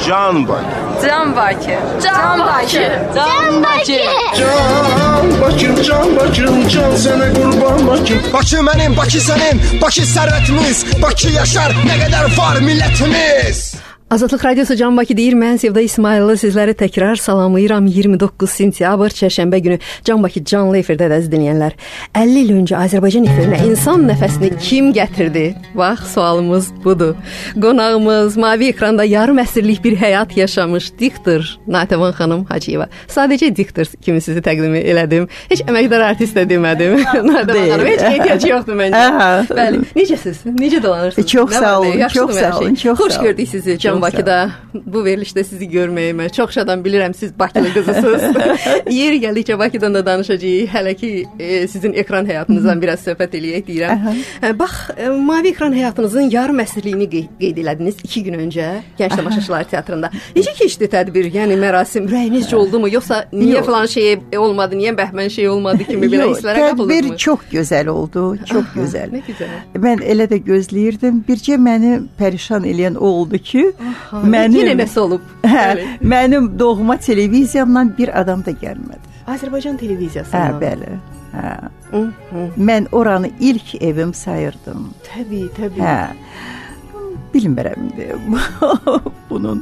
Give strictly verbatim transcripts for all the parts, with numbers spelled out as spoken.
Can Bakı. Can Bakı. Can Bakı. Can Bakı. Can Bakım, Can Bakım, can sənə qurban Bakım. Bakı mənim, Bakı sənin, Bakı sərvətimiz, Bakı yaşar, nə qədər var millətimiz. Azadlıq Radiosu Can Bakı deyir, mən Sevda İsmayıllı sizləri təkrar salamlayıram. iyirmi doqquz sentyabr çərşənbə günü Can Bakı canlı efirdə əziz dinləyənlər. əlli il öncə Azərbaycan efirinə insan nəfəsini kim gətirdi? Bax, sualımız budur. Qonağımız mavi ekranda yarım əsrlik bir həyat yaşamış diktor Natəvan xanım Hacıyeva. Sadəcə diktor kimi sizi təqdim elədim. Heç əməkdar artist də demədim. Natəvan xanım, heç ehtiyac yoxdur məncə. Bəli, necəsiz? Necə dolanırsınız? Çox sağ olun, çox sağ olun, çox Xoş gördük sizi Can Bakıda. Bu verilişdə sizi görməyimə çox şadam, bilirəm siz Bakılı qızısınız. Yeri gəldikcə Bakıdan da danışacağıq. Hələ ki e, sizin ekran həyatınızdan biraz söhbət eləyək deyirəm. E, bax, e, mavi ekran həyatınızın yarım əsrliyini qeyd, qeyd elədiniz iki gün öncə Gənc Tamaşaçılar Teatrında. Necə keçdi tədbir? Yəni mərasim ürəyinizcə oldu mu? Yoxsa niyə Yox. falan şey olmadı, niyə bəhmən şey olmadı kimi belə hisslərə qapıldınız mı? Tədbir çox gözəl oldu, çox Aha, gözəl. Nə gözəl. Mən elə də gözləyirdim. Bircə məni pərişan eləyən o oldu ki, Aha, mənim yenə nəsə olub? Hə, mənim doğma televiziyamdan bir adam da gəlmədi. Azərbaycan televiziyası. Hə, bəli. Hə. Mən oranı ilk evim sayırdım. Təbii, təbii. Hə. Bilmirəm bunun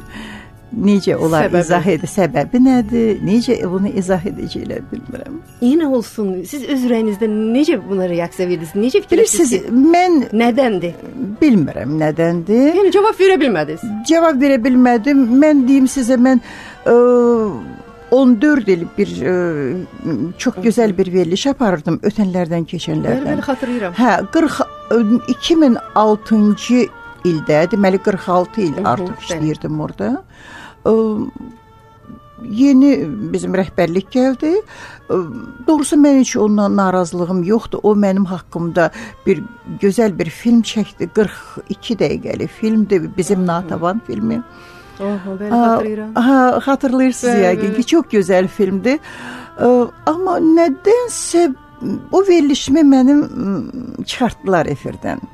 necə olar səbəbi. izah edə səbəbi nədir? Necə bunu izah edəcəklər bilmirəm. Yenə olsun. Siz öz ürəyinizdə necə buna reaksiya verirsiniz? Necə fikirləşirsiniz? Siz mən nədəndir? Bilmirəm nədəndir. Yəni cavab verə bilmədiniz. Cavab verə bilmədim. Mən deyim sizə, mən ə, on dörd il bir ə, çox gözəl bir veriliş aparırdım ötənlərdən, keçənlərdən. Bəli, bəli, xatırlayıram. Hə, qırx iki min altıncı ildə, deməli qırx altı il Hı-hı, artıq işləyirdim orada. Ə, yeni bizim rəhbərlik gəldi. Doğrusu mən heç ondan narazılığım yoxdur. O mənim haqqımda bir gözəl bir film çəkdi. qırx iki dəqiqəlik filmdir, bizim Natəvan filmi. Aha, bəli, xatırlayıram. Ha, xatırlayırsınız yəqin ki, çox gözəl filmdir. Amma nədənsə o verilişimi mənim çıxartdılar efirdən.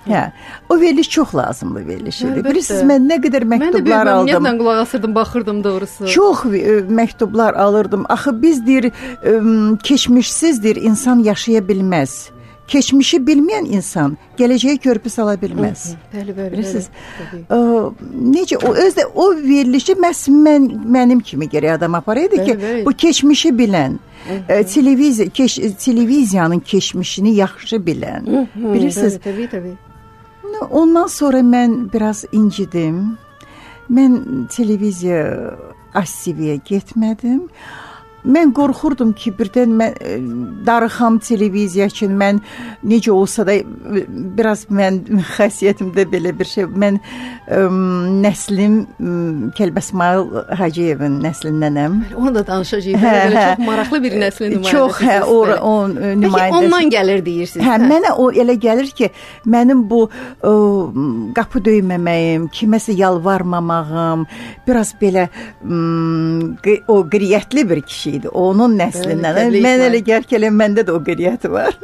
Hə, o veriliş çox lazımlı veriliş idi. Bilirsiniz, mən nə qədər məktublar aldım. Mən də ümumiyyətlə qulaq asırdım, baxırdım doğrusu. Çox ə, məktublar alırdım. Axı biz deyir, ə, keçmişsizdir, insan yaşaya bilməz. Keçmişi bilməyən insan gələcəyə körpü sala bilməz. Bəli, bəli. Bilirsiniz, ə, necə o özdə o verilişi məhz mən mənim kimi gərək adam aparaydı ki, bəli. Bu keçmişi bilən, ə, televiziya keş, televiziyanın keçmişini yaxşı bilən. Hı -hı, bilirsiniz? Bəli, təbii, təbii. Ondan sonra mən biraz incidim. Mən televiziya As T V-yə getmədim. Mən qorxurdum ki, birdən mən darıxam televiziya üçün, mən necə olsa da biraz mən xəsiyyətimdə belə bir şey, mən ə, nəslim Kəlbəsmayıl Hacıyevin nəslindənəm. Onu da danışacağıq. Hə, belə çox maraqlı bir nəslin nümayəndəsiniz. Çox, hə, o, o nümayəndəsi. Peki ondan gəlir deyirsiniz. Hə, hə, mənə o elə gəlir ki, mənim bu o, qapı döyməməyim, kiməsə yalvarmamağım, biraz belə m, o qriyyətli bir kişi idi. Onun nəslindən. Bəli, mən elə gəl ki, məndə də o qeyriyyəti var.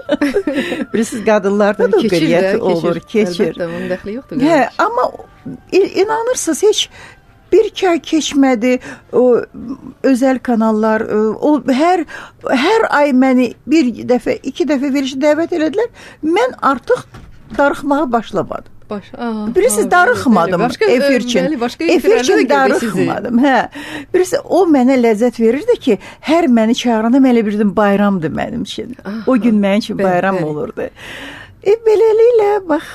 Bilirsiniz, qadınlarda da o qeyriyyəti olur, keçir. Əlbəttə, onun dəxli yoxdur. Hə, amma inanırsınız, heç bir iki ay keçmədi, o özəl kanallar, o hər hər ay məni bir dəfə, iki dəfə verişə dəvət elədilər. Mən artıq darıxmağa başlamadım. Baş, aha, Bilirsiniz, darıxmadım efir üçün. Efir üçün darıxmadım. Hə. Bilirsiniz, o mənə ləzzət verirdi ki, hər məni çağıranda mən elə bilirdim bayramdır mənim üçün. Aha, o gün mənim üçün bayram bəli. olurdu. E, beləliklə, bax,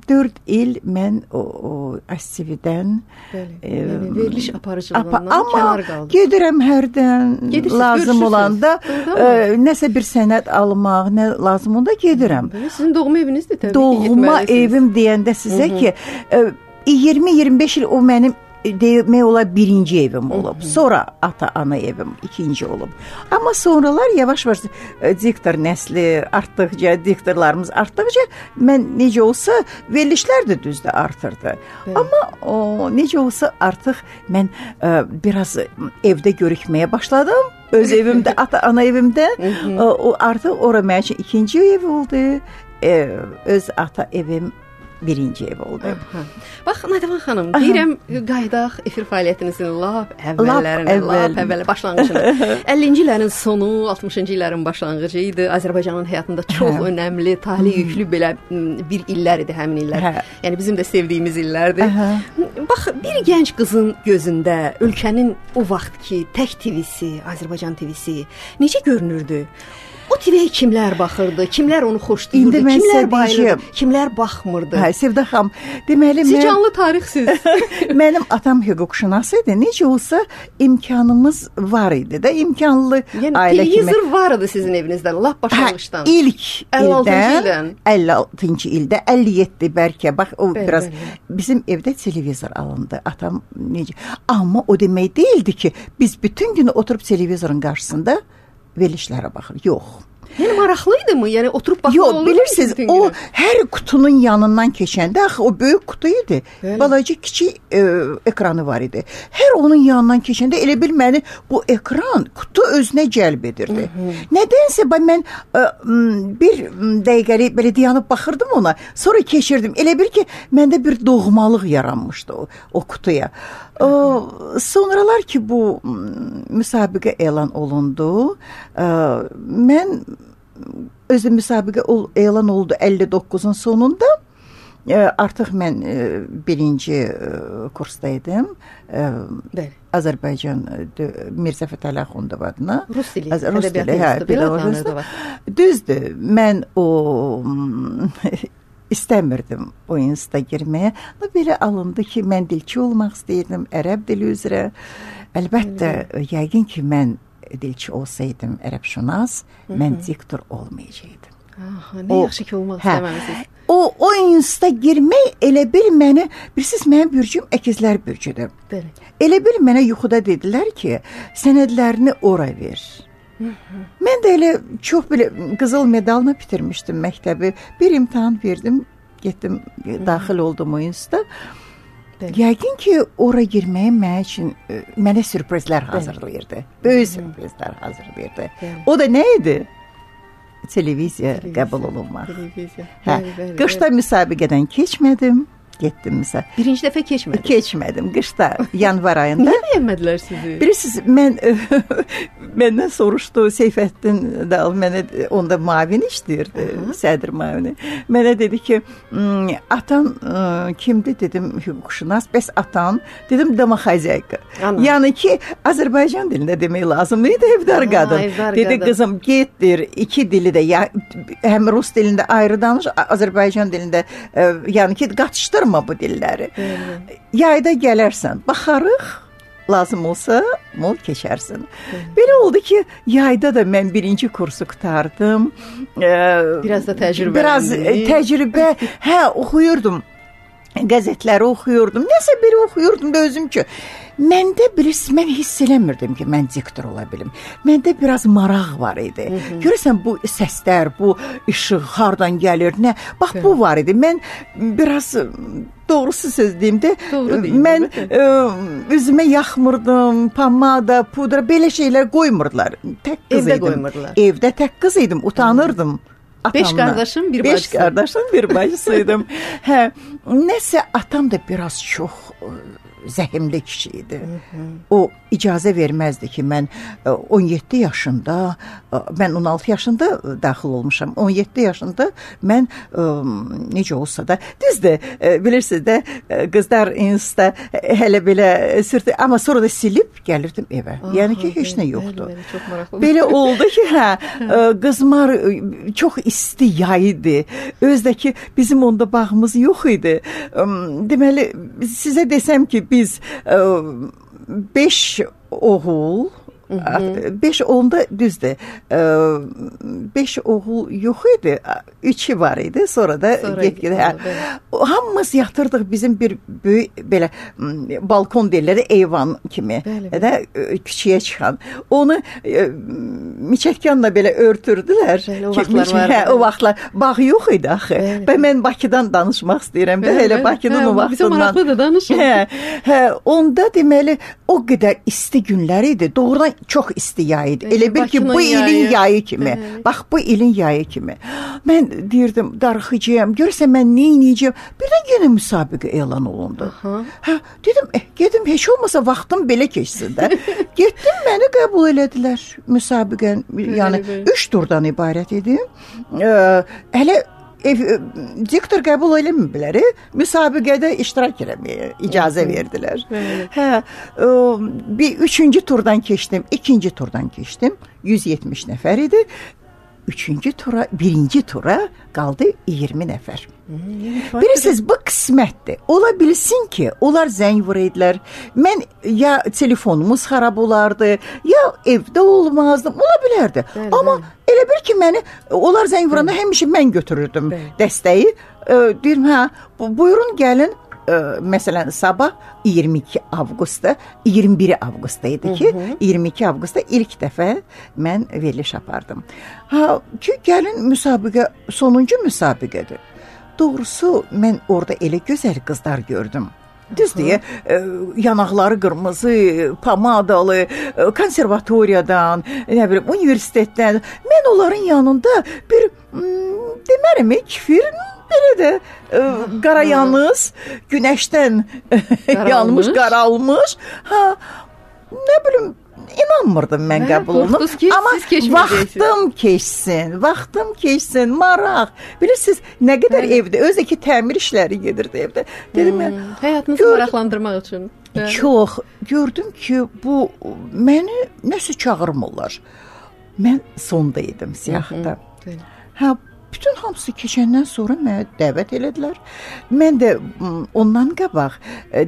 dörd il mən o, o As T V-dən e, veriliş aparıcılığından apa, kənar qaldım. Amma gedirəm hərdən, Gedirsiniz, lazım olanda, e, nəsə bir sənət almaq, nə lazım onda gedirəm. Sizin doğma evinizdir təbii doğma ki, Doğma evim deyəndə sizə Hı -hı. ki, e, iyirmi iyirmi beş il o mənim demək olar birinci evim olub. Hı -hı. Sonra ata-ana evim ikinci olub. Amma sonralar yavaş-yavaş diktor nəsli artdıqca, diktorlarımız artdıqca mən necə olsa verilişlər də düzdür artırdı. Bəli. Amma o necə olsa artıq mən ə, biraz evdə görükməyə başladım. Öz evimdə, ata-ana evimdə. Hı -hı. O artıq ora mənim üçün ikinci ev oldu. Ə, öz ata evim birinci ev oldu. Hə. Bax Nadivan xanım, deyirəm qaydaq efir fəaliyyətinizin lap əvvəllərinə, lap əvvəl başlanğıcına. əllinci illərin sonu, altmışıncı illərin başlanğıcı idi. Azərbaycanın həyatında çox hə. önəmli, tali yüklü belə bir illər idi həmin illər. Hə. Yəni bizim də sevdiyimiz illərdir. Hə. Bax, bir gənc qızın gözündə ölkənin o vaxtki tək T V-si, Azərbaycan T V-si necə görünürdü? O T V-yə kimlər baxırdı, kimlər onu xoşlayırdı, kimlər bayılırdı, kimlər baxmırdı? Hə, Sevda xanım, deməli Siz mən... canlı tarixsiz. Mənim atam hüquqşünas idi. Necə olsa imkanımız var idi də, imkanlı yəni, ailə kimi. Yəni televizor var idi sizin evinizdən, lap başlanğıçdan. Hə, ilk ildən, əlli altıncı ildə, əlli yeddi bəlkə, bax o bəl, biraz bəl. Bizim evdə televizor alındı. Atam necə? Amma o demək deyildi ki, biz bütün günü oturub televizorun qarşısında verilişlərə baxır. Yox. Yəni maraqlıydı mı? Yəni oturub baxmaq olur mu? Yox, bilirsiniz, o hər qutunun yanından keçəndə, axı o böyük qutu idi. Bəli. Balaca kiçik e, ekranı var idi. Hər onun yanından keçəndə elə bil məni bu ekran, kutu özünə cəlb edirdi. Hı -hı. Nədənsə mən e, bir dəqiqəlik belə dayanıb baxırdım ona. Sonra keçirdim. Elə bil ki, məndə bir doğmalıq yaranmışdı o, o kutuya. O, sonralar ki bu müsabiqə elan olundu, e, mən özü müsabiqə elan oldu əlli doqquzun sonunda. E, artıq mən e, birinci e, kursdaydım. E, Azərbaycan e, Mirzə Fətəli Axundov adına. Rus dili, Rus dili, hə, belə düzdür. Mən o istəmirdim o instituta girməyə. Belə alındı ki, mən dilçi olmaq istəyirdim, ərəb dili üzrə. Əlbəttə, hmm. yəqin ki, mən dilçi olsaydım, ərəbşünas, hmm. mən diktor olmayacaqdım. Aha, nə o, yaxşı ki, olmaq hə, istəməmisiniz. O, o instituta girmək elə bil məni, bilirsiniz, mənim bürcüm əkizlər bürcüdür. Bəli. Elə bil mənə yuxuda dedilər ki, sənədlərini ora ver. Hı -hı. Mən də elə çox belə qızıl medalla bitirmişdim məktəbi. Bir imtahan verdim, getdim, Hı -hı. daxil oldum o instituta. Bəli. Yəqin ki, ora girməyim mən üçün mənə sürprizlər hazırlayırdı. Böyük sürprizlər hazırlayırdı. Bəli. O da nə idi? Televiziya, Televiziya qəbul olunmaq. Televiziya. Hə, bəli, bəli, qışda bəli. Müsabiqədən keçmədim. Getdim məsələn. Birinci dəfə keçmədim. Keçmədim. Qışda, yanvar ayında. Niyə bəyənmədilər sizi? Bilirsiniz, mən məndən soruşdu Seyfəddin Dal, mənə onda müavin işləyirdi, sədr müavini. Mənə dedi ki, atan kimdir dedim, hüquqşünas. Bəs atan dedim, domoxozayka. Yəni ki, Azərbaycan dilində demək lazım idi, evdar qadın. Evdar dedi qadın. Qızım, getdir, iki dili də ya, həm rus dilində ayrı danış, Azərbaycan dilində yəni ki, qatışdır bu dilləri. Hı-hı. Yayda gələrsən, baxarıq, lazım olsa mol keçərsin. Hı-hı. Belə oldu ki, yayda da mən birinci kursu qutardım. Ee, biraz da təcrübə. Biraz təcrübə, hə, oxuyurdum. Qəzetləri oxuyurdum. Nəsə biri oxuyurdum da özüm ki, məndə bilirsiniz, mən hiss eləmirdim ki, mən diktor ola bilim. Məndə biraz maraq var idi. Hı -hı. Görürsən, bu səslər, bu işıq hardan gəlir, nə? Bax, Hı. bu var idi. Mən biraz doğrusu söz deyim də, Doğru deyim, mən ə, üzümə yaxmırdım, pomada, pudra, belə şeylər qoymurdular. Tək qız Evdə idim. qoymurdular. Evdə tək qız idim, utanırdım. Atamla. Beş qardaşım, bir bacısı. Beş qardaşım, bir bacısıydım. Hə, nəsə atam da biraz çox zəhimli kişi idi. Hı -hı. O icazə verməzdi ki, mən on yeddi yaşında, mən on altı yaşında daxil olmuşam. on yeddi yaşında mən necə olsa da, düzdür, bilirsiniz də, qızlar institutda hələ belə sürtü, amma sonra da silib gəlirdim evə. Aha, yəni ki, heç nə yoxdur. Bəli, bəli, çox maraqlı. Belə oldu ki, hə, qızmar çox isti yay idi. Özdəki bizim onda bağımız yox idi. Deməli, sizə desəm ki, biz beş oğul, beş onda düzdür, beş oğul yox idi, üçü var idi, sonra da get-gedə. Hamımız yatırdıq bizim bir böyük belə balkon deyirlər, eyvan kimi, də küçüyə çıxan. Onu miçətkanla belə örtürdülər. Bəli, o vaxtlar var. Hə, o vaxtlar bağ yox idi axı. Və mən Bakıdan danışmaq istəyirəm də, elə Bakının o vaxtından. Bizə maraqlıdır, danışın. Hə, hə, onda deməli o qədər isti günlər idi. Doğrudan çox isti yay idi. Elə Elə bil ki, bu yayı. ilin yayı kimi. Bəli. Bax, bu ilin yayı kimi. Mən deyirdim, darıxacağam, görürsən mən nə edəcəyəm? Birdən yenə müsabiqə elan olundu. Aha. Hə, dedim, eh, gedim, heç olmasa vaxtım belə keçsin də. Getdim, məni qəbul elədilər müsabiqən. Yəni, üç turdan ibarət idi. Ə, hələ ev, diktor qəbul eləməyiblər, müsabiqədə iştirak eləməyə icazə verdilər. Hə, ə, bir üçüncü turdan keçdim, ikinci turdan keçdim. yüz yetmiş nəfər idi. Üçüncü tura, birinci tura qaldı iyirmi nəfər. Hmm, Bilirsiniz, bu qismətdir. Ola bilsin ki, onlar zəng vuraydılar. Mən ya telefonumuz xarab olardı, ya evdə olmazdım. Ola bilərdi. Bəli, Amma bəli. Elə bir ki, məni onlar zəng vuranda həmişə mən götürürdüm bəli. Dəstəyi. E, deyirəm, hə, bu, buyurun gəlin. Ə, məsələn, sabah iyirmi iki avqustda, iyirmi biri avqustda idi ki, hı -hı. iyirmi iki avqustda ilk dəfə mən veriliş apardım. Ha, ki, gəlin müsabiqə, sonuncu müsabiqədir. Doğrusu, mən orada elə gözəl qızlar gördüm. Düz deyə, ə, yanaqları qırmızı, pomadalı, ə, konservatoriyadan, nə bilim, universitetdən. Mən onların yanında bir, m, demərəm, kifir, belə də ə, qarayanız, günəşdən yanmış, qaralmış. Ha, nə bilim, inanmırdım mən qəbulunu. Amma vaxtım keçsin, vaxtım keçsin, maraq. Bilirsiniz, nə qədər Bəli. Evdə, özdəki təmir işləri gedirdi evdə. Dedim, hmm, həyatınızı gör, maraqlandırmaq üçün. Bəli. Çox. Gördüm ki, bu məni nəsə çağırmırlar. Mən sonda idim siyahıda. Hə, bütün hamısı keçəndən sonra mənə dəvət elədilər. Mən də ondan qabaq,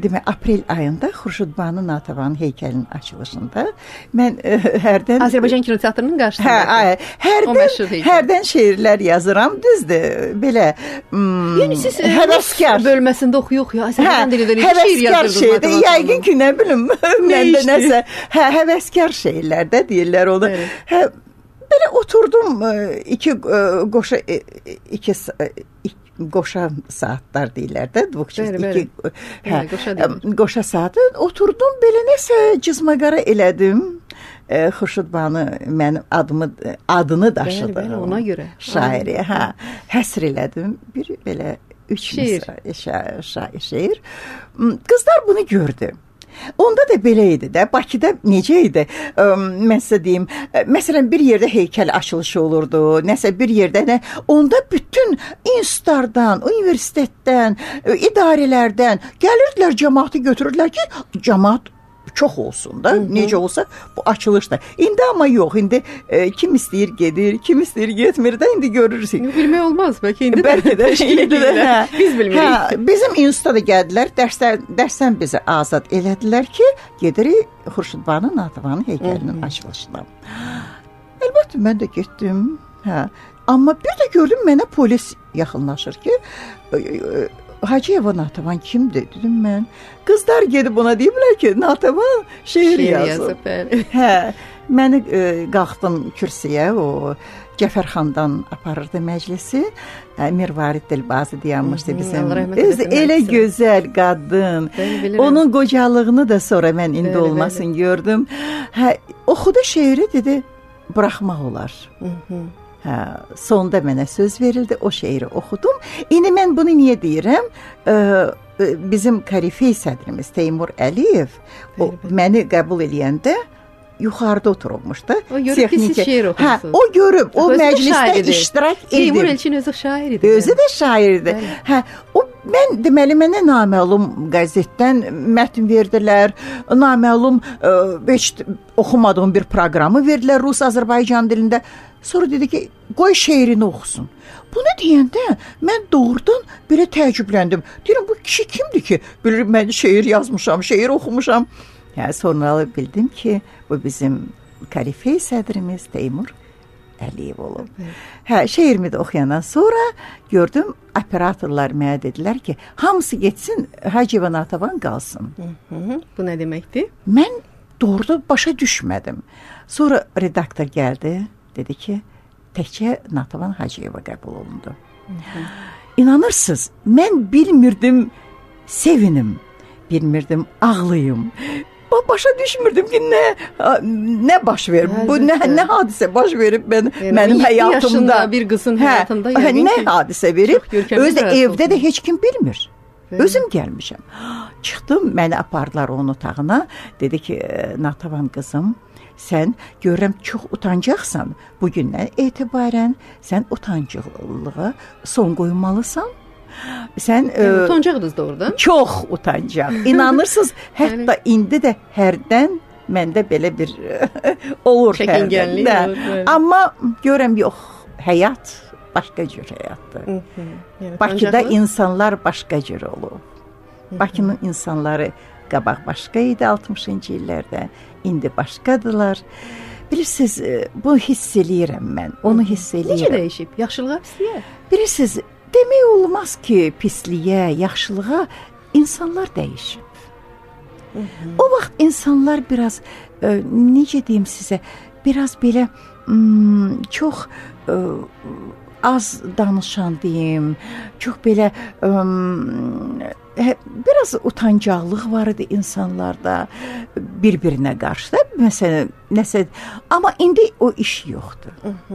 demək, aprel ayında Xurşudbanu Natavanın heykəlinin açılışında mən ə, hərdən Azərbaycan Kinoteatrının qarşısında. Hə, hərdən, hərdən şeirlər yazıram, düzdür. Belə m, yəni siz həvəskar bölməsində oxuyuq ya, Azərbaycan dilində şeir yazırdınız. Yəqin ki, nə bilim, məndə nəsə, hə, həvəskar şeylərdə deyirlər onu. Hə, belə oturdum iki qoşa iki, iki qoşa saatlar deyirlər də, iki hə, qoşa saatı oturdum, belə nəsə cızmaqara elədim. Xurşudbanu mənim adımı adını daşıdı. Bəli, bəli, ona görə. Şairi, hə, həsr elədim. Bir belə üç şeir. Şair, şeir. Qızlar bunu gördü. Onda da belə idi də, Bakıda necə idi, ə, mən sizə deyim, məsələn, bir yerdə heykəl açılışı olurdu, nəsə bir yerdə, nə, onda bütün institutlardan, universitetdən, idarələrdən gəlirdilər, cəmaatı götürürdülər ki, cəmaat çox olsun da, Hı -hı. necə olsa bu açılışda. İndi amma yox, indi e, kim istəyir gedir, kim istəyir getmir də, indi görürsün. Bilmək olmaz, bəlkə indi bəlkə də, indi də, hə, biz bilmirik. Hə, bizim instituta gəldilər, dərslər, dərsdən bizi azad elədilər ki, gedirik Xurşudbanu Natavanın heykəlinin açılışına. Əlbəttə, mən də getdim, hə. Amma bir də gördüm, mənə polis yaxınlaşır ki, e, e, Hacıyeva Natavan kimdir, dedim mən. Qızlar gedib ona deyiblər ki, Natavan şeir, şeir yazıb. Hə, məni e, qalxdım kürsüyə, o Cəfərxandan aparırdı məclisi. Mirvarid Dilbazı dayanmışdı bizim. Öz, elə gözəl qadın. Onun qocalığını da sonra mən indi bəli, olmasın bəli. Gördüm. Hə, oxudu şeiri, dedi, buraxmaq olar. Hı -hı. Hə, sonda mənə söz verildi, o şeiri oxudum. İndi mən bunu niyə deyirəm? Ee, bizim korifey sədrimiz Teymur Əliyev o, məni qəbul eləyəndə yuxarıda oturulmuşdu. O görüb ki, siz şeir oxuyorsunuz. Hə, o görüb, o özü məclisdə iştirak edib. Teymur Elçin özü şairdir. Özü də şairdir. Hə, o mən deməli mənə naməlum qəzetdən mətn verdilər. Naməlum ə, heç oxumadığım bir proqramı verdilər Rus-Azərbaycan dilində. Sonra dedi ki, qoy şeirini oxusun. Bunu deyəndə mən doğrudan belə təəccübləndim. Deyirəm, bu kişi kimdir ki, bilirəm, mən şeir yazmışam, şeir oxumuşam. Yəni, sonra bildim ki, bu bizim korifey sədrimiz Teymur Əliyev olub. Hə, şeirimi də oxuyandan sonra gördüm, operatorlar mənə dedilər ki, hamısı getsin, Hacıyeva Natavan qalsın. Hı -hı. Bu nə deməkdir? Mən doğrudan başa düşmədim. Sonra redaktor gəldi, dedi ki, təkcə Natavan Hacıyeva qəbul olundu. Hı -hı. İnanırsınız, mən bilmirdim sevinim, bilmirdim ağlayım. Amma başa düşmürdüm ki nə nə baş verib. Bu nə nə hadisə baş verib mən yəni, mənim həyatımda bir qızın hə, həyatında hə, yəni nə hadisə verib? Özü də evdə olsun. də heç kim bilmir. Hə. Özüm gəlmişəm. Çıxdım, məni apardılar onun otağına. Dedi ki, Natavan qızım, sən görürəm çox utancaqsan. Bu gündən etibarən sən utancaqlığa son qoymalısan. Sən yəni, utancaqdınız doğrudan? Çox utancaq. İnanırsınız, hətta indi də hərdən məndə belə bir olur çəkingənlik olur. Amma görürəm yox, həyat başqa cür həyatdır. Yəni, Bakıda utancaqlı? insanlar başqa cür olur. Bakının insanları qabaq başqa idi altmışıncı illərdə, indi başqadılar. Bilirsiniz, bunu hiss eləyirəm mən, onu hiss eləyirəm. Necə dəyişib? Yaxşılığa, pisliyə? Bilirsiniz, demək olmaz ki, pisliyə, yaxşılığa insanlar dəyişib. Hı -hı. O vaxt insanlar biraz, e, necə deyim sizə, biraz belə m, çox e, az danışan deyim, çox belə e, biraz utancaqlıq var idi insanlarda bir-birinə qarşı da, məsələn, nəsə, amma indi o iş yoxdur.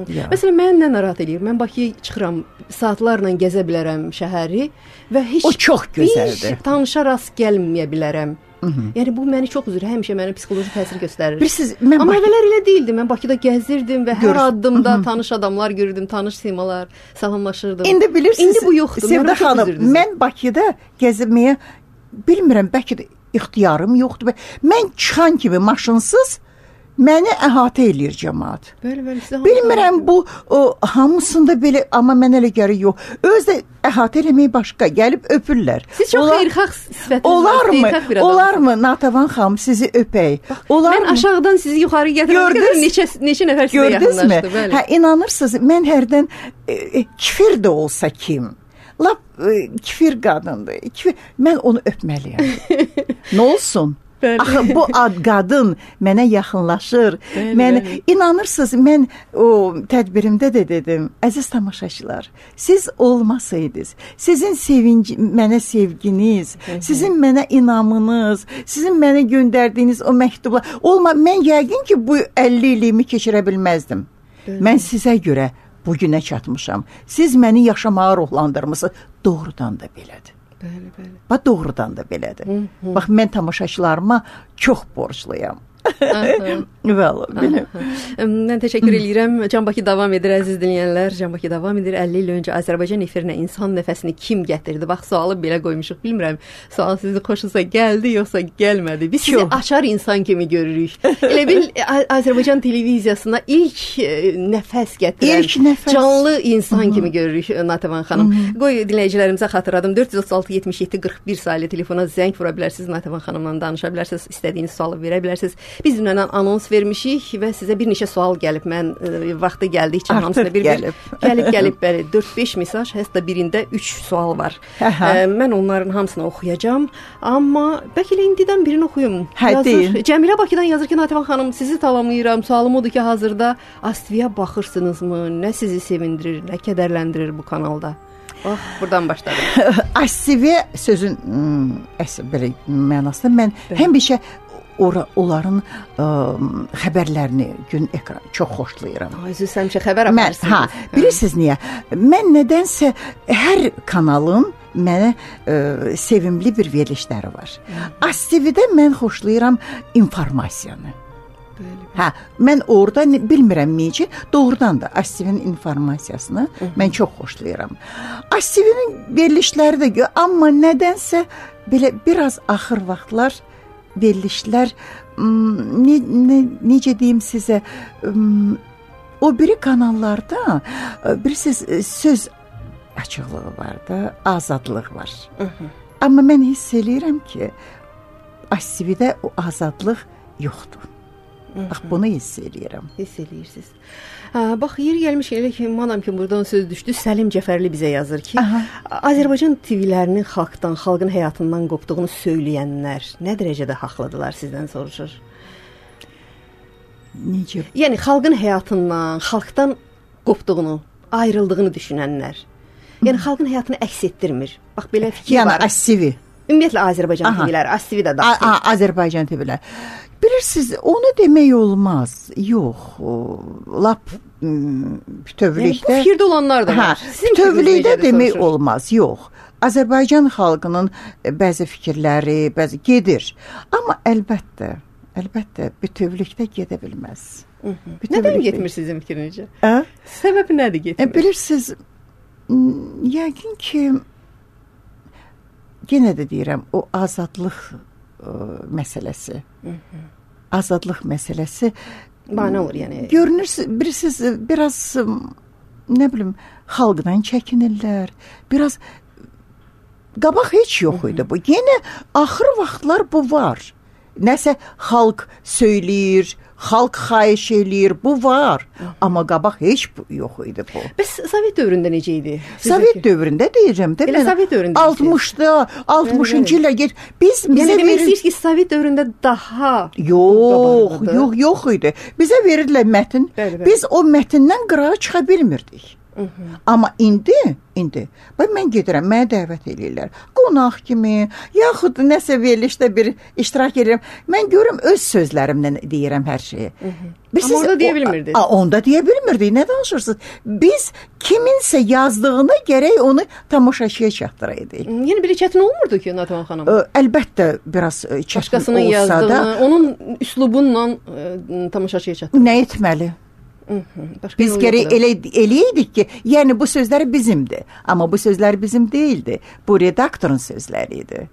Ya. Məsələn, mən nə narahat edir? Mən Bakıya çıxıram, saatlarla gəzə bilərəm şəhəri və heç o çox gözəldir. Bir tanışa rast gəlməyə bilərəm. Hı -hı. Yəni bu məni çox üzür, həmişə mənə psixoloji təsir göstərir. Bilirsiniz, mən Amma Bakı... əvvəllər elə değildi. Mən Bakıda gəzirdim və hər addımda Hı -hı. tanış adamlar görürdüm, tanış simalar, salamlaşırdım. İndi bilirsiniz, İndi bu yoxdur. Sevda xanım, mən Bakıda gəzməyə bilmirəm, bəlkə də ixtiyarım yoxdur. Mən çıxan kimi maşınsız məni əhatə eləyir cəmaət. Bəli, bəli, sizə bilmirəm bu o, hamısında belə, amma mən elə gəlir yox. Özdə əhatə eləməyi başqa, gəlib öpürlər. Siz çox xeyirxah sifətiniz olar mı? Olar mı Natavan xanım sizi öpək? Olar mən mı? Aşağıdan sizi yuxarı gətirdim. Neçə neçə nəfər sizə yaxınlaşdı, bəli. Hə, inanırsınız, mən hərdən e, kifir də olsa kim? Lap e, kifir qadındır. Kifir, mən onu öpməliyəm. Nə olsun? Bəli. Axı bu ad qadın mənə yaxınlaşır. Bəli, mən bəli. İnanırsınız, mən o tədbirimdə də dedim, əziz tamaşaçılar, siz olmasaydınız, sizin sevinci, mənə sevginiz, Hı -hı. sizin mənə inamınız, sizin mənə göndərdiyiniz o məktublar olma, mən yəqin ki bu əlli illiyimi keçirə bilməzdim. Bəli. Mən sizə görə bu günə çatmışam. Siz məni yaşamağa ruhlandırmısınız. Doğrudan da belədir. Bəli, bəli. Bax doğrudan da belədir. Hı -hı. Bax mən tamaşaçılarıma çox borcluyam. Valla belə. Mən təşəkkür edirəm. Can Bakı davam edir, əziz dinləyənlər. Can Bakı davam edir. əlli il öncə Azərbaycan efirinə insan nəfəsini kim gətirdi? Bax, sualı belə qoymuşuq. Bilmirəm, sual sizin xoşunuza gəldi yoxsa gəlmədi. Biz sizi açar insan kimi görürük. Elə bil Azərbaycan televiziyasına ilk nəfəs gətirən, ilk nəfəs. canlı insan Hı -hı. kimi görürük Natavan xanım. Hı -hı. Qoy dinləyicilərimizə xatırladım. dörd yüz otuz altı yetmiş yeddi qırx bir saylı telefona zəng vura bilərsiniz. Natavan xanımla danışa bilərsiniz. İstədiyiniz sualı verə bilərsiniz. Biz dünən anons vermişik və sizə bir neçə sual gəlib. Mən e, vaxtı gəldikcə hamısına bir gəlib. Gəlib gəlib bəli dörd beş mesaj, hətta birində üç sual var. E, mən onların hamısını oxuyacağam, amma bəlkə elə indidən birini oxuyum. Yazır. Cəmilə Bakıdan yazır ki, Natavan xanım, sizi talamlayıram. Sualım odur ki, hazırda Astiviyə baxırsınızmı? Nə sizi sevindirir, nə kədərləndirir bu kanalda? Bax, buradan başladım. Astiviyə sözün hmm, əsl belə mənasında mən həmişə Ora, onların ə, xəbərlərini gün ekran çox xoşlayıram. Ay, siz həmişə xəbər aparırsınız. Hə, bilirsiniz niyə? Mən nədənsə hər kanalın mənə ə, sevimli bir verilişləri var. Astividə mən xoşlayıram informasiyanı. Bəli. Hə, mən orada bilmirəm necə, doğrudan da Astivinin informasiyasını Hı -hı. mən çox xoşlayıram. Astivinin verilişləri də, amma nədənsə belə biraz axır vaxtlar verilişlər ne, ne, necə deyim sizə, o biri kanallarda bilirsiniz söz açıqlığı var da, azadlıq var. Hı -hı. Amma mən hiss eləyirəm ki, Astividə o azadlıq yoxdur. Hı -hı. Bax, bunu hiss eləyirəm. Hiss eləyirsiniz. Ha, bax, yeri gəlmiş elə ki, madam ki, buradan söz düşdü, Səlim Cəfərli bizə yazır ki, Aha. Azərbaycan T V-lərinin xalqdan, xalqın həyatından qopduğunu söyləyənlər nə dərəcədə haqlıdırlar, sizdən soruşur? Necə? Yəni, xalqın həyatından, xalqdan qopduğunu, ayrıldığını düşünənlər. Yəni, xalqın həyatını əks etdirmir. Bax, belə fikir yəni, var. Yəni, Astivi. Ümumiyyətlə Azərbaycan T V-ləri, AS T V də daxil. Azərbaycan T V-lər. Bilirsiniz, onu demək olmaz. Yox, lap bütövlükdə... Yəni, bu fikirdə olanlar da var. Bütövlükdə demək olmaz, yox. Azərbaycan xalqının bəzi fikirləri, bəzi gedir. Amma əlbəttə, əlbəttə bütövlükdə gedə bilməz. Nədən getmir sizin fikrincə? Hə? Səbəbi nədir getmir? Bilirsiniz, yəqin ki, yenə də deyirəm, o azadlıq ə, məsələsi. Azadlıq məsələsi. Bana olur yəni. Görünürsünüz, bilirsiniz, biraz, nə bilim, xalqdan çəkinirlər, biraz... Qabaq heç yox idi bu. Yenə axır vaxtlar bu var. Nəsə xalq söyləyir, xalq xahiş eləyir, bu var. Amma qabaq heç bu yox idi bu. Bəs Sovet dövründə necə idi? Sovet dövründə deyəcəm də. Elə Sovet dövründə. altmışda, altmışıncı ilə get. Biz yəni bizə demək verir... istəyir ki, Sovet dövründə daha yox, yox, yox idi. Bizə verirdilər mətn. Bəli, bəli. Biz o mətndən qırağa çıxa bilmirdik. Hı -hı. Amma indi, indi, bax mən gedirəm, mənə dəvət eləyirlər. Qonaq kimi, yaxud nəsə verilişdə bir iştirak edirəm. Mən görürüm, öz sözlərimlə deyirəm hər şeyi. Amma orada deyə bilmirdiniz. O, onda deyə bilmirdik, nə danışırsınız? Biz kiminsə yazdığını gərək onu tamaşaçıya çatdıraydık. Yəni bir çətin olmurdu ki, Nativan xanım? Ə, əlbəttə biraz çətin Başqasının olsa yazdığını, da. onun üslubunla ə, tamaşaçıya çatdırdı. Nə etməli? Biz gərək elə, eləydik ki, yəni bu sözləri bizimdir. Amma bu sözlər bizim deyildi. Bu redaktorun sözləri idi.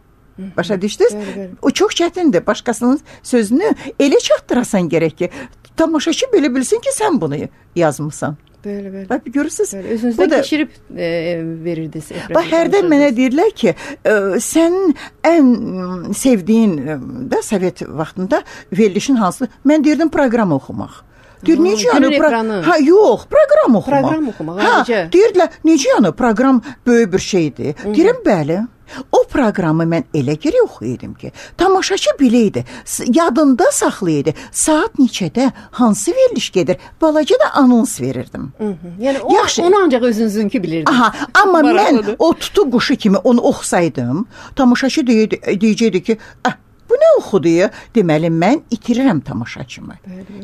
Başa düşdünüz? Bəli, bəli. O çox çətindir. Başqasının sözünü elə çatdırasan gərək ki, tamaşaçı belə bilsin ki, sən bunu yazmısan. Bəli, bəli. Bax, görürsünüz? Bəli, özünüzdən da... keçirib e, verirdiniz. Bax, hərdən mənə deyirlər ki, e, sən ən sevdiyin e, da Sovet vaxtında verilişin hansı? Mən deyirdim proqram oxumaq. Deyir, necə yəni? Pro- ha, yox, proqram oxumaq. Proqram oxumaq, ha, necə? Deyirdilər, necə yəni? Proqram böyük bir şeydir. Deyirəm, bəli. O proqramı mən elə geri oxuyaydım ki, tamaşaçı biləydi, yadında saxlayırdı. Saat neçədə hansı veriliş gedir, balaca da anons verirdim. Hı -hı. Yəni o, Yaxşı. onu ancaq özünüzünki bilirdiniz. Aha, amma Maraqlıdır. mən o tutu quşu kimi onu oxusaydım, tamaşaçı deyirdi, deyəcəkdi ki, ah, bu nə oxudu ya? Deməli, mən itirirəm tamaşaçımı.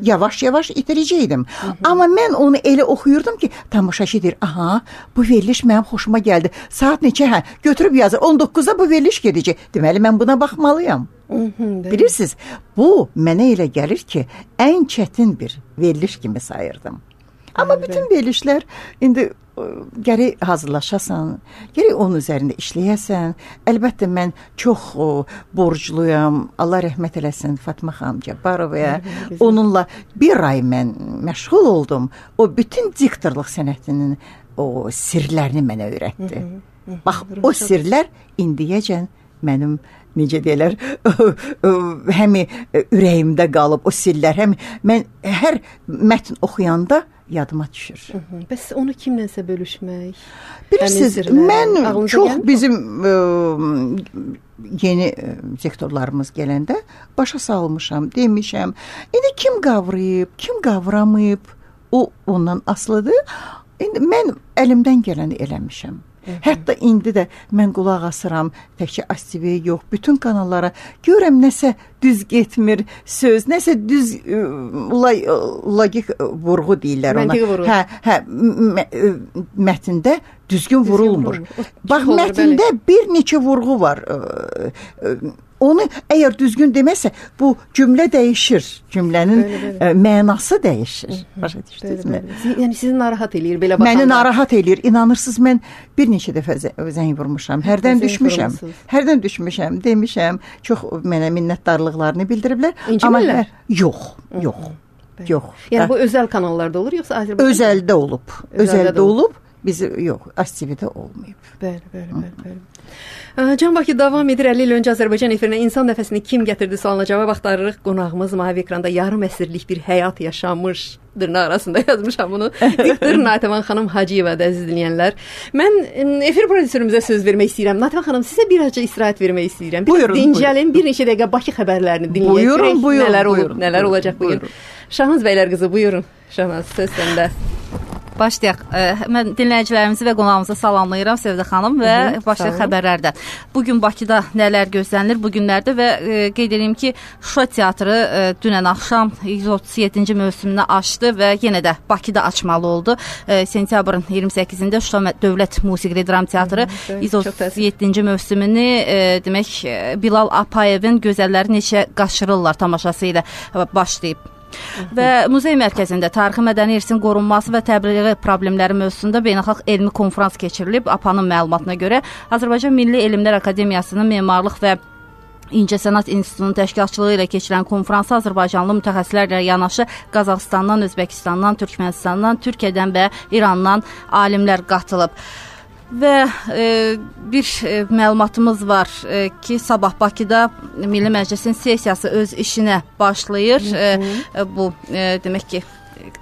Yavaş-yavaş itirəcəkdim. Amma mən onu elə oxuyurdum ki, tamaşaçı deyir, aha, bu veriliş mənim xoşuma gəldi. Saat neçə? Hə, götürüb yazır, on doqquzda bu veriliş gedəcək. Deməli, mən buna baxmalıyam. Bilirsiniz, bu mənə elə gəlir ki, ən çətin bir veriliş kimi sayırdım. Amma bütün verilişlər indi gərək hazırlaşasan, gərək onun üzərində işləyəsən. Əlbəttə, mən çox o, borcluyam. Allah rəhmət eləsin Fatma xanım Cabbarovaya. Onunla bir ay mən məşğul oldum. O bütün diktorluq sənətinin o sirlərini mənə öyrətdi. Bax, o sirlər indiyəcən mənim necə deyirlər, həmi ürəyimdə qalıb o sirlər, həmi mən hər mətn oxuyanda yadıma düşür. Hı -hı. Bəs onu kimlənsə bölüşmək? Bilirsiniz, mən çox bizim ə, yeni ə, sektorlarımız gələndə başa salmışam, demişəm. İndi kim qavrayıb, kim qavramayıb, o ondan asılıdır. İndi mən əlimdən gələni eləmişəm. Hətta indi də mən qulaq asıram, təkcə A S T V yox, bütün kanallara görürəm nəsə düz getmir söz, nəsə düz logik vurğu deyirlər ona. Hə, hə, mətndə düzgün vurulmur. Bax, mətndə bir neçə vurğu var. Onu əgər düzgün deməsə, bu cümlə dəyişir. Cümlənin bəli, bəli. mənası dəyişir. Başa düşdünüzmü? Yəni sizi narahat eləyir belə baxanda. Məni narahat eləyir. İnanırsınız, mən bir neçə dəfə zəng vurmuşam. Hərdən düşmüşəm. Hərdən düşmüşəm, demişəm. Çox mənə minnətdarlıqlarını bildiriblər. İncimirlər? Amma yox, yox. Yox. Yəni bu özəl kanallarda olur, yoxsa Azərbaycan? Özəldə olub. Özəldə olub. Bizi yox, A S T V-də olmayıb. Bəli, bəli, bəli, bəli. Can Bakı davam edir. əlli il öncə Azərbaycan efirinə insan nəfəsini kim gətirdi sualına cavab axtarırıq. Qonağımız mavi ekranda yarım əsrlik bir həyat yaşamış. Dırnaq arasında yazmışam bunu. Diktor Nativan xanım Hacıyeva da əziz dinləyənlər. Mən efir prodüserümüzə söz vermək istəyirəm. Nativan xanım, sizə birazca istirahət vermək istəyirəm. Buyurun. Dincəlin, bir neçə dəqiqə Bakı xəbərlərini dinləyək. Buyurun, buyurun. Nələr olub, buyurun, nələr buyurun, olacaq bugün. Buyurun. Şahnaz bəylər qızı, buyurun. Şahnaz, söz səndə. Başlayaq. Mən dinləyicilərimizi və qonağımızı salamlayıram Sevdə xanım və Hı -hı, başlayaq xəbərlərdən. Bugün Bakıda nələr gözlənilir bu günlərdə və e, qeyd edeyim ki, Şuşa teatrı e, dünən axşam yüz otuz yeddinci mövsümünü açdı və yenə də Bakıda açmalı oldu. E, sentyabrın iyirmi səkkizində Şuşa Dövlət Musiqili Dram Teatrı Hı -hı, yüz otuz yeddinci mövsümünü e, demək Bilal Apayevin Gözəlləri Neçə Qaçırırlar tamaşası ilə başlayıb. Və muzey mərkəzində tarixi mədəni irsin qorunması və təbliği problemləri mövzusunda beynəlxalq elmi konfrans keçirilib. A P A-nın məlumatına görə Azərbaycan Milli Elmlər Akademiyasının Memarlıq və İncəsənət İnstitutunun təşkilatçılığı ilə keçirilən konfransa Azərbaycanlı mütəxəssislərlə yanaşı Qazaxıstandan, Özbəkistandan, Türkmənistandan, Türkiyədən və İrandan alimlər qatılıb. Və e, bir e, məlumatımız var e, ki, sabah Bakıda Milli Məclisin sessiyası öz işinə başlayır. E, bu e, demək ki,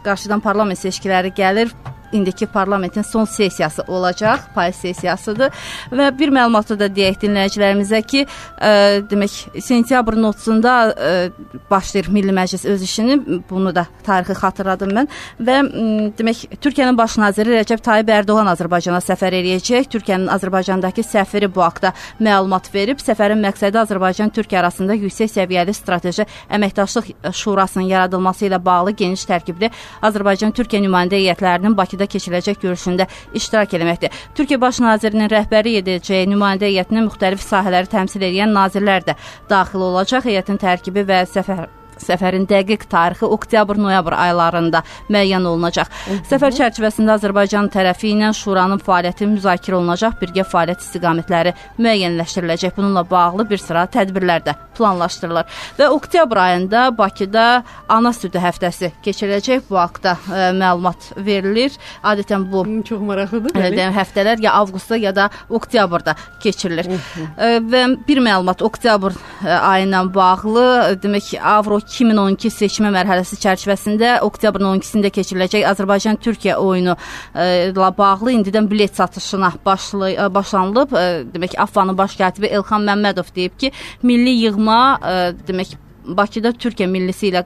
qarşıdan parlament seçkiləri gəlir. İndiki parlamentin son sessiyası olacaq, payız sessiyasıdır. Və bir məlumatı da deyək dinləyicilərimizə ki, e, demək sentyabrın otuzunda e, başlayır Milli Məclis öz işini. Bunu da tarixi xatırladım mən. Və m, demək Türkiyənin baş naziri Rəcəb Tayyib Ərdoğan Azərbaycana səfər eləyəcək. Türkiyənin Azərbaycandakı səfiri bu haqda məlumat verib. Səfərin məqsədi Azərbaycan-Türkiyə arasında yüksək səviyyəli strateji əməkdaşlıq şurasının yaradılması ilə bağlı geniş tərkibli Azərbaycan-Türkiyə nümayəndə heyətlərinin Bakıda keçiriləcək görüşündə iştirak etməkdir. Türkiyə Baş Nazirinin rəhbəri edəcəyi nümayəndə heyətinə müxtəlif sahələri təmsil edən nazirlər də daxil olacaq. Heyətin tərkibi və səfər Səfərin dəqiq tarixi oktyabr-noyabr aylarında müəyyən olunacaq. Hı -hı. Səfər çərçivəsində Azərbaycan tərəfi ilə şuranın fəaliyyəti müzakirə olunacaq, birgə fəaliyyət istiqamətləri müəyyənləşdiriləcək. Bununla bağlı bir sıra tədbirlər də planlaşdırılır. Və oktyabr ayında Bakıda ana südü həftəsi keçiriləcək. Bu haqda ə, məlumat verilir. Adətən bu çox maraqlıdır. Ə, həftələr ya avqustda ya da oktyabrda keçirilir. Hı -hı. Ə, və bir məlumat oktyabr ə, ayı ilə bağlı, demək Avro iki min on iki seçmə mərhələsi çərçivəsində oktyabrın on ikisində keçiriləcək Azərbaycan-Türkiyə oyunu ilə e, bağlı indidən bilet satışına başlay başlanılıb. E, demək A F A-nın baş katibi Elxan Məmmədov deyib ki, milli yığma e, demək Bakıda Türkiyə millisi ilə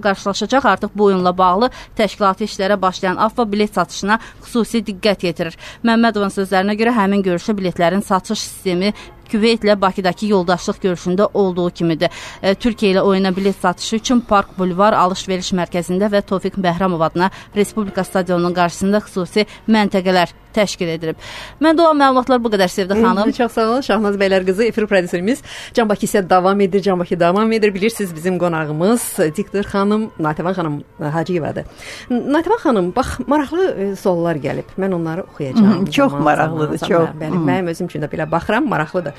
qarşılaşacaq. Artıq bu oyunla bağlı təşkilati işlərə başlayan A F A bilet satışına xüsusi diqqət yetirir. Məmmədovun sözlərinə görə həmin görüşdə biletlərin satış sistemi Küveytlə Bakıdakı yoldaşlıq görüşündə olduğu kimidir. E, Türkiyə ilə oyuna bilet satışı üçün Park Bulvar alış-veriş mərkəzində və Tofiq Bəhramov adına Respublika stadionunun qarşısında xüsusi məntəqələr təşkil edilib. Mən də o məlumatlar bu qədər Sevdə xanım. Hı, çox sağ olun. Şahnaz bəylər qızı, efir prodüserimiz Can Bakı isə davam edir. Can Bakı davam edir. Bilirsiniz bizim qonağımız diktor xanım Nativan xanım Hacıyevadır. Nativan xanım, bax maraqlı e, suallar gəlib. Mən onları oxuyacağam. Hı, çox maraqlıdır, çox. Bəli, mənim özüm üçün də belə baxıram, maraqlıdır.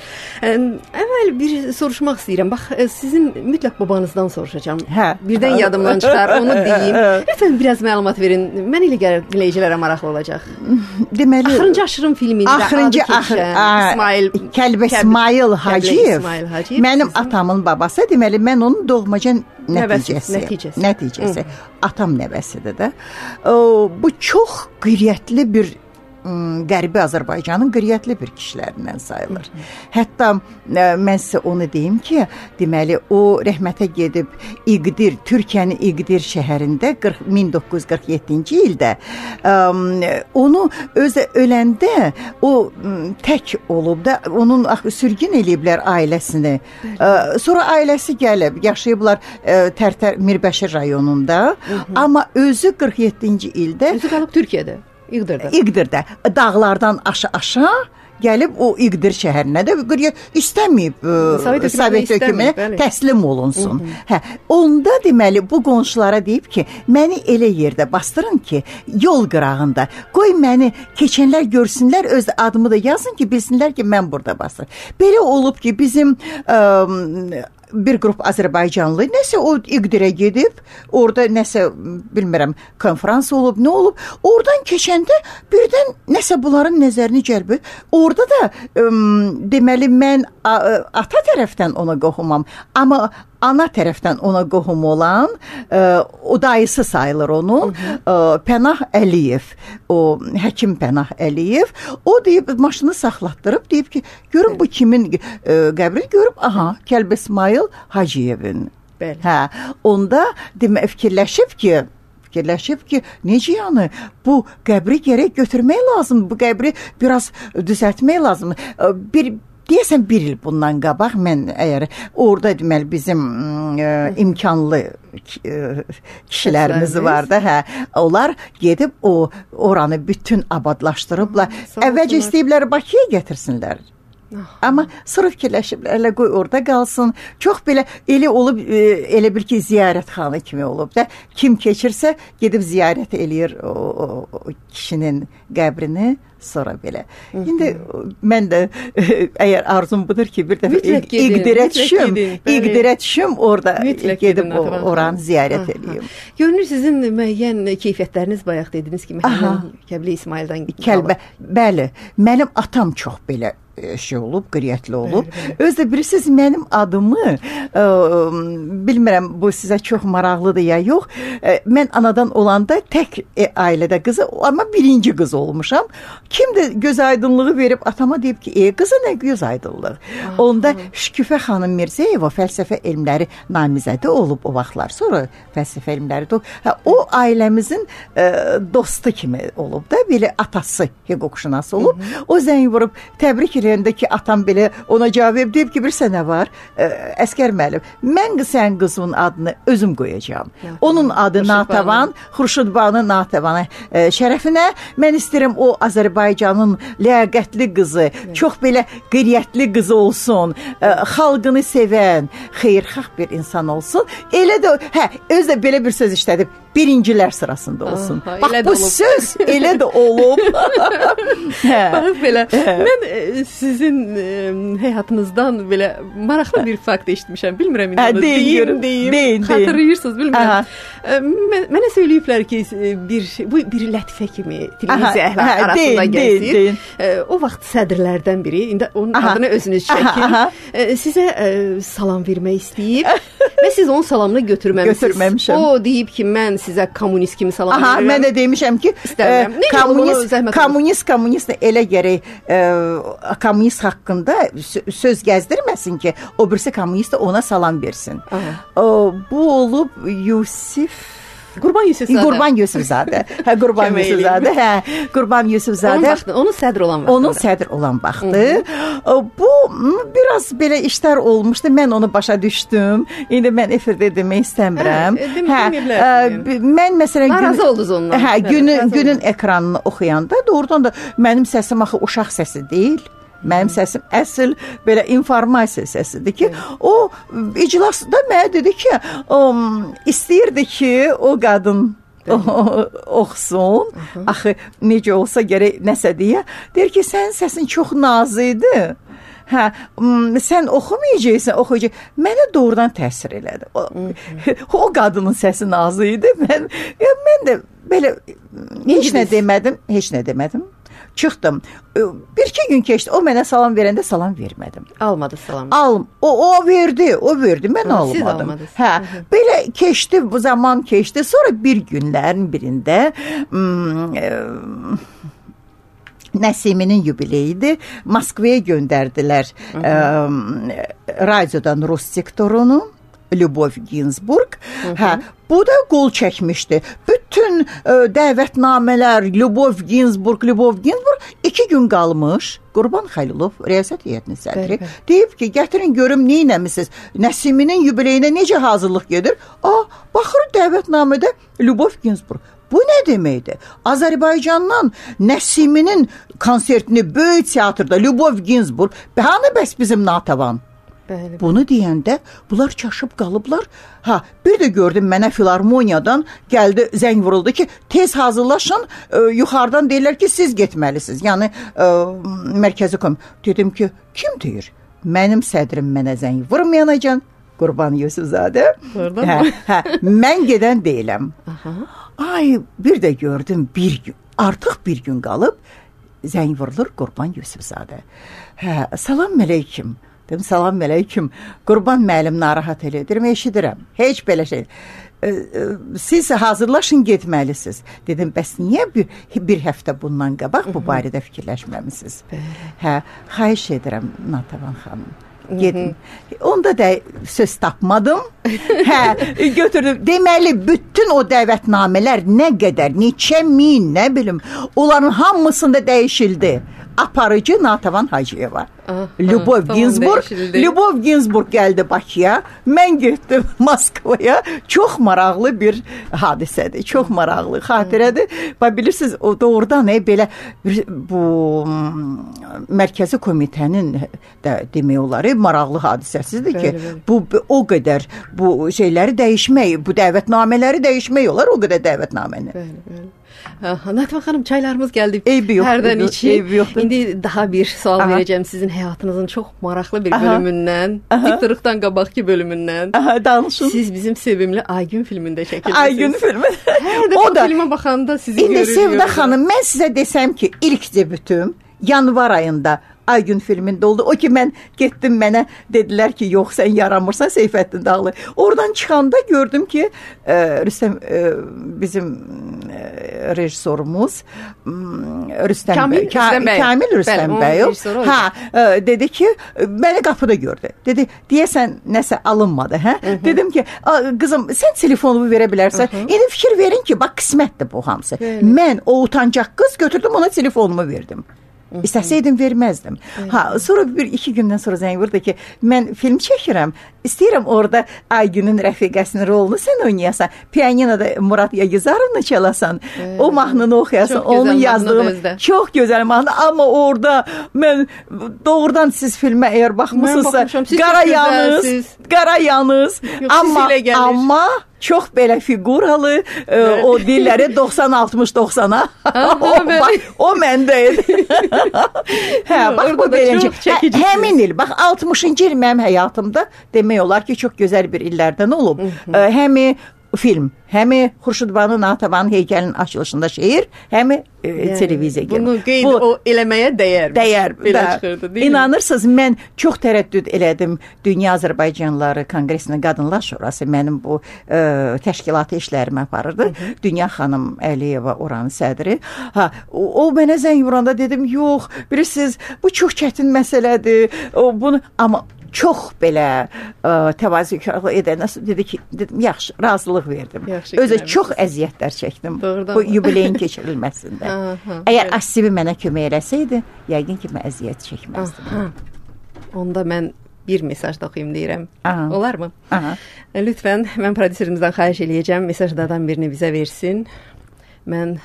Əvvəl bir soruşmaq istəyirəm. Bax, sizin mütləq babanızdan soruşacağam. Hə. Birdən yadımdan çıxar, onu deyim. Lütfən biraz məlumat verin. Mən elə gəlir dinləyicilərə maraqlı olacaq. Deməli, Axırıncı Aşırım filmində axırıncı axır, İsmail Kəlbə İsmail Hacıyev. İsmail Hacıyev mənim sizin... atamın babası. Deməli, mən onun doğmaca nəticəsi. Nəticəsi. Nəticəsi. Atam nəvəsidir də. O, bu çox qüdrətli bir Qərbi Azərbaycanın qüdrətli bir kişilərindən sayılır. Hətta ə, mən sizə onu deyim ki, deməli o rəhmətə gedib İqdir, Türkiyənin İqdir şəhərində min doqquz yüz qırx yeddinci ildə ə, onu özü öləndə o ə, tək olub da onun axı sürgün eləyiblər ailəsini. Ə, sonra ailəsi gəlib, yaşayıblar ə, Tərtər Mirbəşir rayonunda, hı -hı. Amma özü qırx yeddinci ildə özü qalıb Türkiyədə. İqdirdə. İqdirdə. Dağlardan aşağı-aşağı gəlib o İqdir şəhərinə də istəməyib Sovet, Sovet hökumətinə təslim olunsun. Hı -hı. Hə, onda deməli bu qonşulara deyib ki, məni elə yerdə bastırın ki, yol qırağında. Qoy məni keçənlər görsünlər, öz adımı da yazın ki, bilsinlər ki, mən burada bastırım. Belə olub ki, bizim ə, bir qrup Azərbaycanlı nəsə o İqdirə gedib, orada nəsə bilmirəm, konferans olub, nə olub, oradan keçəndə birdən nəsə bunların nəzərini cəlb. Orada da ə, deməli mən ə, ata tərəfdən ona qohumam, amma ana tərəfdən ona qohum olan ə, o dayısı sayılır onun, ə, Pənah Əliyev, o həkim Pənah Əliyev, o deyib maşını saxlatdırıb, deyib ki, görün bu kimin ə, qəbri, görüb, aha, Kəlbə İsmail Hacıyevin. Bəli. Hə, onda demə fikirləşib ki, fikirləşib ki, necə yəni bu qəbri gərək götürmək lazım, bu qəbri biraz düzəltmək lazım. Bir deyəsən bir il bundan qabaq mən əgər orada deməli bizim ə, imkanlı ə, kişilərimiz var da, hə, onlar gedib o oranı bütün abadlaşdırıblar. Əvvəlcə istəyiblər Bakıya gətirsinlər. Amma sonra fikirləşiblər, elə qoy orada qalsın. Çox belə elə olub, elə bir ki, ziyarətxana kimi olub da. Kim keçirsə gedib ziyarət eləyir o, o, o kişinin qəbrini. Sonra belə. İndi mən də əgər arzum budur ki, bir dəfə İqdirə düşüm, İqdirə düşüm, orada mütləq gedib o, oranı ziyarət edeyim. Görünür sizin müəyyən keyfiyyətləriniz bayaq dediniz ki, Məhəmməd Kəbli İsmaildən Kəlbə, bəli, mənim atam çox belə şey olub, qiriyyətli olub. Özdə bilirsiniz, mənim adımı ə, bilmirəm, bu sizə çox maraqlıdır ya yox. Ə, mən anadan olanda tək e, ailədə qızı, amma birinci qız olmuşam. Kim də göz aydınlığı verib atama deyib ki, ey qızı nə göz aydınlığı. Onda Şüküfə xanım Mirzəyeva fəlsəfə elmləri namizədi olub o vaxtlar. Sonra fəlsəfə elmləri də hə, o ailəmizin ə, dostu kimi olub da, belə atası hüquqşünas olub. Hı -hı. O zəng vurub təbrik eləyəndə ki, atam belə ona cavab verib, deyib ki, bilirsə nə var? Ə, Əskər müəllim, mən sən qızımın adını özüm qoyacağam. Ya, onun adı Xurşud Natavan, Xurşud Banu Natavanı ə, şərəfinə mən istəyirəm o Azərbaycanın ləyaqətli qızı, ya, çox belə qiriyyətli qızı olsun, ə, xalqını sevən, xeyirxah bir insan olsun. Elə də, hə, özü də belə bir söz işlədib, birincilər sırasında olsun. Aha, bax, bu olub. Söz elə də olub. Bax, belə. Mən e, sizin e, həyatınızdan belə maraqlı bir fakt eşitmişəm. Bilmirəm, indi onu deyim, deyim. Deyin, xatırlayırsınız, bilmirəm. E, mən, mənə söyləyiblər ki, bir, bu bir lətifə kimi televiziya arasında gəlsin. E, o vaxt sədrlərdən biri, indi onun aha, adını özünüz çəkin, e, sizə e, salam vermək istəyib və siz onun salamını götürməmişsiniz. Götürməmişəm. O deyib ki, mən sizə kommunist kimi salam aha, verirəm. Mən də demişəm ki, e, kommunist, kommunist, kommunist elə gərək e, kommunist haqqında söz gəzdirməsin ki, o birisi kommunist ona salam versin. O, bu olub Yusif Qurban Yusufzadə. Qurban Yusufzadə. Hə, Qurban Yusufzadə. Hə, Qurban Yusufzadə. Onun vaxtı, onun sədr olan vaxtı. Onun sədr olan vaxtı. Bu biraz belə işlər olmuşdu. Mən onu başa düşdüm. İndi mən efirdə demək istəmirəm. Hə, hə, mən məsələn narazı oldunuz ondan. Hə, günün günün ekranını oxuyanda doğrudan da mənim səsim axı uşaq səsi deyil. Mənim səsim əsl belə informasiya səsidir ki, o iclasda mənə dedi ki, o, istəyirdi ki, o qadın o, oxusun, axı necə olsa gərək nəsə deyə, deyir ki, sənin səsin çox nazı idi. Hə, sən oxumayacaqsan, oxuyacaq. Mənə doğrudan təsir elədi. O, o qadının səsi nazı idi. Mən, ya, mən də belə heç nə demədim, heç nə demədim. Çıxdım. Bir-iki gün keçdi. O mənə salam verəndə salam vermədim. Almadı salam. Alım. O, o verdi, o verdi. Mən ha, almadım. Siz almadınız. Hə, hı -hı. Belə keçdi, bu zaman keçdi. Sonra bir günlərin birində hmm, e, Nəsiminin yubileyidir. Moskvaya göndərdilər e, radiodan Rus sektorunu. Lyubov Ginsburg. Hə, bu da qol çəkmişdi. Bütün e, dəvətnamələr Lyubov Ginsburg, Lyubov Ginsburg iki gün qalmış. Qurban Xəlilov, riyasət heyətinin sədri, deyib ki, gətirin görüm nə etmisiniz? Nəsiminin yubileyinə necə hazırlıq gedir? A, baxır dəvətnamədə Lyubov Ginsburg. Bu nə deməkdir? Azərbaycandan Nəsiminin konsertini böyük teatrda Lyubov Ginsburg, hanı bəs bizim Natavan? Bəli. Bunu deyəndə bunlar çaşıb qalıblar. Ha, bir də gördüm mənə filarmoniyadan gəldi, zəng vuruldu ki, tez hazırlaşın, e, yuxarıdan deyirlər ki, siz getməlisiniz. Yəni e, mərkəzi kom. Dedim ki, kim deyir? Mənim sədrim mənə zəng vurmayanacan, Qurban Yusufzadə. Hə, hə, mən gedən deyiləm. Aha. Ay, bir də gördüm bir gün, artıq bir gün qalıb zəng vurulur Qurban Yusufzadə. Hə, salam əleyküm. Dedim, salam əleyküm. Qurban müəllim narahat elə. Dedim, eşidirəm. Heç belə şey. Siz hazırlaşın, getməlisiniz. Dedim, bəs niyə bir, bir həftə bundan qabaq bu barədə fikirləşməmisiniz? Hə, xahiş edirəm, Natavan xanım. Gedin. Onda da söz tapmadım. Hə, götürdüm. Deməli, bütün o dəvətnamələr nə qədər, neçə min, nə bilim, onların hamısında dəyişildi. Aparıcı Natavan Hacıyeva. Lyubov tamam, Ginsburg. Lyubov Ginsburg gəldi Bakıya. Mən getdim Moskvaya. Çox maraqlı bir hadisədir. Çox maraqlı xatirədir. Və bilirsiniz, o doğrudan e, belə bu mərkəzi komitənin də demək olar, maraqlı hadisəsidir ki, bəli, bəli. Bu o qədər bu şeyləri dəyişmək, bu dəvətnamələri dəyişmək olar, o qədər dəvətnaməni. Bəli, bəli. Nativan xanım, çaylarımız gəldi. Eybi yoxdur. Hərdən için. İndi daha bir sual Aha. verəcəm sizin həyatınızın çox maraqlı bir bölümündən, Diktorluqdan qabaqki bölümündən. Aha, danışın. Siz bizim sevimli Aygün filmində çəkildiniz. Aygün filmi. Hər dəfə da filmə baxanda sizi indi görürük. İndi Sevda xanım, mən sizə desəm ki, ilk debütüm yanvar ayında Aygün filmində oldu. O ki, mən getdim, mənə dedilər ki, yox, sən yaramırsan Seyfəddin Dağlı. Oradan çıxanda gördüm ki, e, Rüstəm, e, bizim e, rejissorumuz Rüstəm Kamil bəy, Rüstəm bəy. Kamil Rüstəm bəy. Ha, e, dedi ki, məni qapıda gördü. Dedi, deyəsən nəsə alınmadı, hə? Hı -hı. Dedim ki, qızım, sən telefonumu verə bilərsən. Hı -hı. İndi fikir verin ki, bax qismətdir bu hamısı. Bəli. Mən o utancaq qız götürdüm, ona telefonumu verdim. İstəsəydim verməzdim. Ha, sonra bir iki gündən sonra zəng vurdu ki, mən film çəkirəm. İstəyirəm orada Aygünün rəfiqəsinin rolunu sən oynayasan. Pianinoda Murad Yagizarovnu çalasan. Evet. O mahnını oxuyasan. Çox onun yazdığını. Çox gözəl mahnı. Amma orada mən doğrudan siz filmə əgər baxmısınızsa qara yanız, qara yanız. Amma amma çox belə figuralı, evet. O dilləri doxsan altmış doxsana. o, o məndə idi. Hə, bax bu beləcə. Hə, həmin il, bax altmışıncı il mənim həyatımda demək olar ki, çox gözəl bir illərdən olub. Həmi film, həmi Xurşudbanu Natavanın heykəlinin açılışında şeir, həmi e, yəni, televiziya gəlir. Bunu qeyd bu, o eləməyə dəyər. Dəyər. Belə çıxırdı, deyil mi? İnanırsınız, mən çox tərəddüd elədim. Dünya Azərbaycanlıları Konqresinin Qadınlar Şurası mənim bu e, təşkilatı işlərimi aparırdı. Hı -hı. Dünya xanım Əliyeva oranın sədri. Ha, o, o mənə zəng vuranda dedim, yox, bilirsiniz, bu çox çətin məsələdir. O, bunu, amma çox belə ə, təvazökarlıq edəndə dedi ki, dedim, yaxşı, razılıq verdim. Yaxşı, özü görəmişsiniz. Çox əziyyətlər çəkdim. Doğrudan bu yubileyin keçirilməsində. Aha, əgər evet. Asibi mənə kömək eləsəydi, yəqin ki, mən əziyyət çəkməzdim. Aha. Onda mən bir mesaj da oxuyum deyirəm. Aha. Olar mı? Aha. Lütfən, mən prodüserimizdən xahiş eləyəcəm, mesajlardan birini bizə versin. Mən...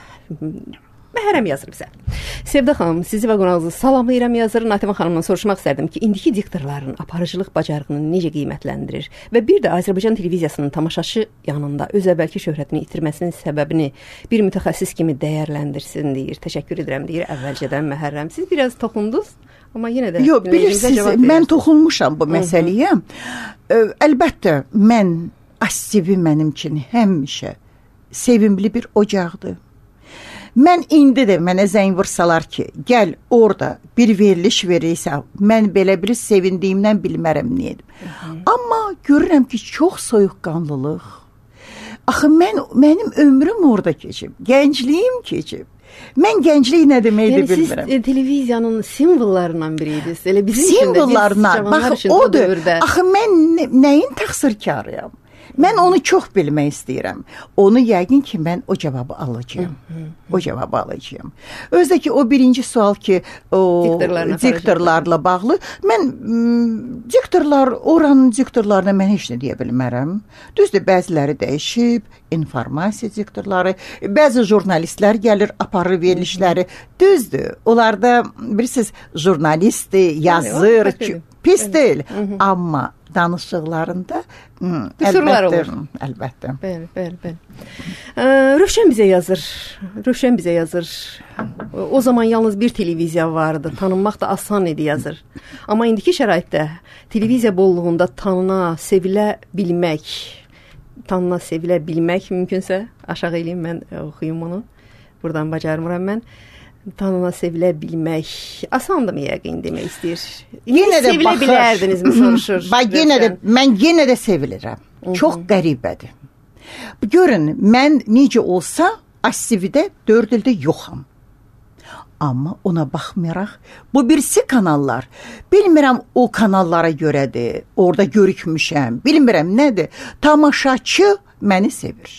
Məhərəm yazır bizə. Sevda xanım, sizi və qonağınızı salamlayıram yazır. Nativan xanımdan soruşmaq istərdim ki, indiki diktorların aparıcılıq bacarığını necə qiymətləndirir və bir də Azərbaycan televiziyasının tamaşaçı yanında öz əvvəlki şöhrətini itirməsinin səbəbini bir mütəxəssis kimi dəyərləndirsin deyir. Təşəkkür edirəm deyir əvvəlcədən Məhərrəm. Siz biraz toxundunuz, amma yenə də yox, bilirsiniz, mən toxunmuşam bu məsələyə. Ə, əlbəttə, mən Asibi mənim üçün həmişə sevimli bir ocaqdır. Mən indi də mənə zəng vursalar ki, gəl orada bir veriliş verirsə, mən belə bir sevindiyimdən bilmərəm niyə. Amma görürəm ki, çox soyuqqanlılıq. Axı mən mənim ömrüm orada keçib, gəncliyim keçib. Mən gənclik nə deməkdir yəni bilmirəm. Yəni siz televiziyanın simvollarından biriydiniz. Elə bizim simvollarına, bax odur. Axı mən nəyin təqsirkarıyam? Mən onu çox bilmək istəyirəm. Onu yəqin ki, mən o cavabı alacağım. O cavabı alacağım. Özdə ki, o birinci sual ki, o diktorlarla bağlı. Mən diktorlar, oranın diktorlarına mən heç nə deyə bilmərəm. Düzdür, bəziləri dəyişib, informasiya diktorları, bəzi jurnalistlər gəlir, aparır verilişləri. Düzdür, onlarda bilirsiniz, jurnalistdir, yazır, pis deyil. Amma danışıqlarında qüsurlar olur. Əlbəttə. Bəli, bəli, bəli. Rövşən bizə yazır. Rövşən bizə yazır. O zaman yalnız bir televiziya vardı. Tanınmaq da asan idi yazır. Amma indiki şəraitdə televiziya bolluğunda tanına, sevilə bilmək, tanına, sevilə bilmək mümkünsə, aşağı eləyim mən oxuyum onu. Buradan bacarmıram mən. Tanına sevilə bilmək asandımı yəqin demək istəyir. Yenə də sevilə bilərdinizmi soruşur. Bax, yenə də, mən yenə də sevilirəm. Çox qəribədir. Görün, mən necə olsa Asividə dörd ildə yoxam. Amma ona baxmayaraq, bu birisi kanallar, bilmirəm o kanallara görədir, orada görükmüşəm, bilmirəm nədir, tamaşaçı məni sevir.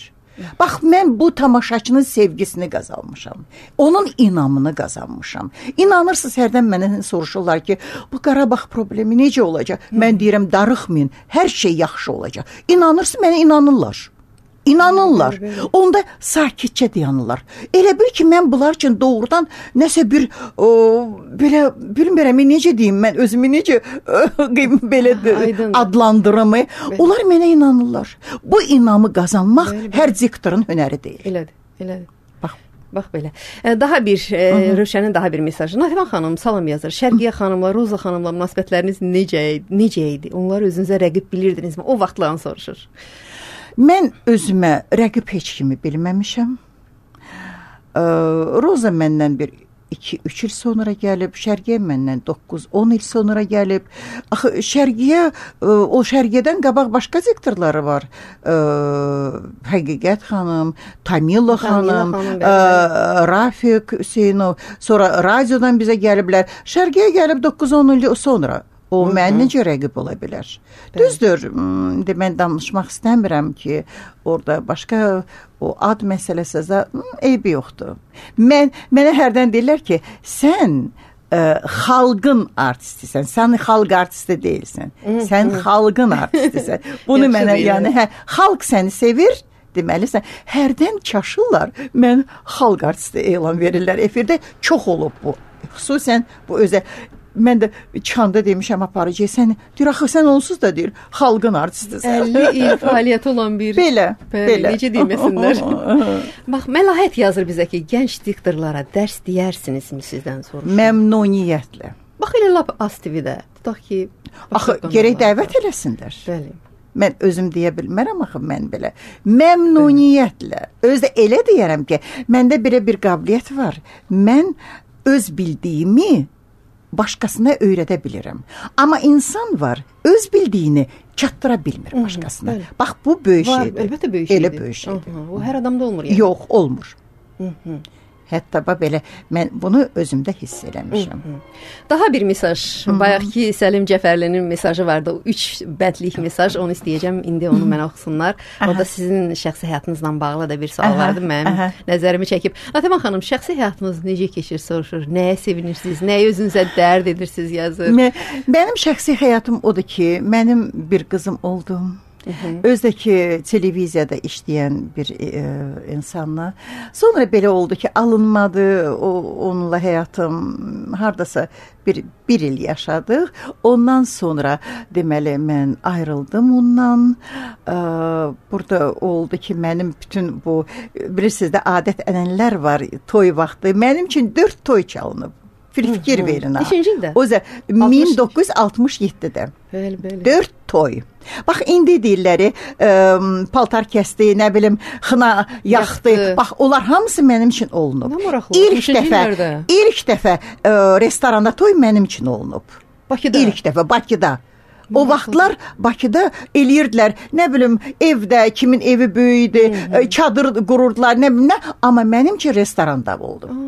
Bax, mən bu tamaşaçının sevgisini qazanmışam, onun inamını qazanmışam. İnanırsınız, hərdən mənə soruşurlar ki, bu Qarabağ problemi necə olacaq? Mən deyirəm, darıxmayın, hər şey yaxşı olacaq. İnanırsınız, mənə inanırlar. İnanırlar. Onda sakitcə dayanırlar. Elə bil ki, mən bunlar üçün doğrudan nəsə bir o, belə, bilmirəm, necə deyim, mən özümü necə belə adlandırımı. Onlar mənə inanırlar. Bu inamı qazanmaq bəli, bəli. Hər diktorun hünəri deyil. Elədir, elədir. Bax, bax belə. Daha bir, e, Rövşənin daha bir mesajı. Nativan xanım, salam yazır. Şərqiyə xanımla, Roza xanımla münasibətləriniz necə, necə idi? Onları özünüzə rəqib bilirdinizmi? O vaxtlarını soruşur. Mən özümə rəqib heç kimi bilməmişəm. Ee, Roza məndən bir iki üç il sonra gəlib, Şərqiyə məndən doqquz on il sonra gəlib. Axı Şərqiyə, o Şərqiyədən qabaq başqa sektorları var. Ee, Həqiqət xanım, Tamila xanım, xanım e, Rafiq Hüseynov, sonra radiodan bizə gəliblər. Şərqiyə gəlib doqquz on il sonra. O mən necə rəqib ola bilər? Düzdür, de, mən danışmaq istəmirəm ki, orada başqa o ad məsələsə eybi yoxdur. Mən, mənə hərdən deyirlər ki, sən ə, xalqın artistisən, sən xalq artisti deyilsən, sən xalqın artistisən. Bunu mənə, yəni, hə, xalq səni sevir, deməlisən, hərdən çaşırlar, mən xalq artisti elan verirlər. Efirdə çox olub bu. Xüsusən bu özə... Mən də çıxanda demişəm aparıcı, sən, deyir, axı sən onsuz da deyir, xalqın artistisən. əlli il fəaliyyəti olan bir... Belə, Bəli, belə. Necə deyməsinlər. Bax, Məlahət yazır bizə ki, gənc diktorlara dərs deyərsinizmi sizdən soruşur? Məmnuniyyətlə. Bax, elə lap az T V-də. Tutaq ki... Axı, gerək dəvət eləsinlər. Bəli. Mən özüm deyə bilmərəm, axı, mən belə. Məmnuniyyətlə. Özdə elə deyərəm ki, məndə belə bir qabiliyyət var. Mən öz bildiyimi başqasına öyrədə bilirəm. Amma insan var, öz bildiyini çatdıra bilmir başqasına. Hı-hı, bax, bu böyük var, şeydir. Əlbəttə böyük şeydir. Elə böyük şeydir. Hı-hı, o hər adamda olmur. Yəni. Yox, olmur. Hı-hı. Hətta belə, mən bunu özümdə hiss eləmişəm. Hı-hı. Daha bir mesaj, bayaqki Səlim Cəfərlinin mesajı vardı. O üç bəndlik mesaj, onu istəyəcəm, indi onu mənə oxusunlar. Orada sizin şəxsi həyatınızla bağlı da bir sual aha, vardı, mənim aha. nəzərimi çəkib. Nativan xanım, şəxsi həyatınız necə keçir, soruşur, nəyə sevinirsiniz, nəyə özünüzə dərd edirsiniz, yazır. Mə, mənim şəxsi həyatım odur ki, mənim bir qızım oldu. Özdəki televiziyada işləyən bir e, insanla. Sonra belə oldu ki, alınmadı, o, onunla həyatım hardasa bir, bir il yaşadıq. Ondan sonra deməli mən ayrıldım ondan. E, burada oldu ki, mənim bütün bu, bilirsiniz də adət ənənələr var toy vaxtı. Mənim üçün dörd toy çalınıb. Fikir verin ha. Neçinci ildə? O da min doqquz yüz altmış yeddidə. Bəli, bəli. Dörd toy. Bax, indi deyirləri, ə, paltar kəsdi, nə bilim, xına yaxdı. Yaxdı. Bax, onlar hamısı mənim üçün olunub. İlk dəfə, ilk dəfə ə, restoranda toy mənim üçün olunub. Bakıda? İlk dəfə, Bakıda. O vaxtlar Bakıda eləyirdilər, nə bilim, evdə, kimin evi böyüydü, çadır qururdular, nə bilim, nə. Amma mənim üçün restoranda oldu. Aa.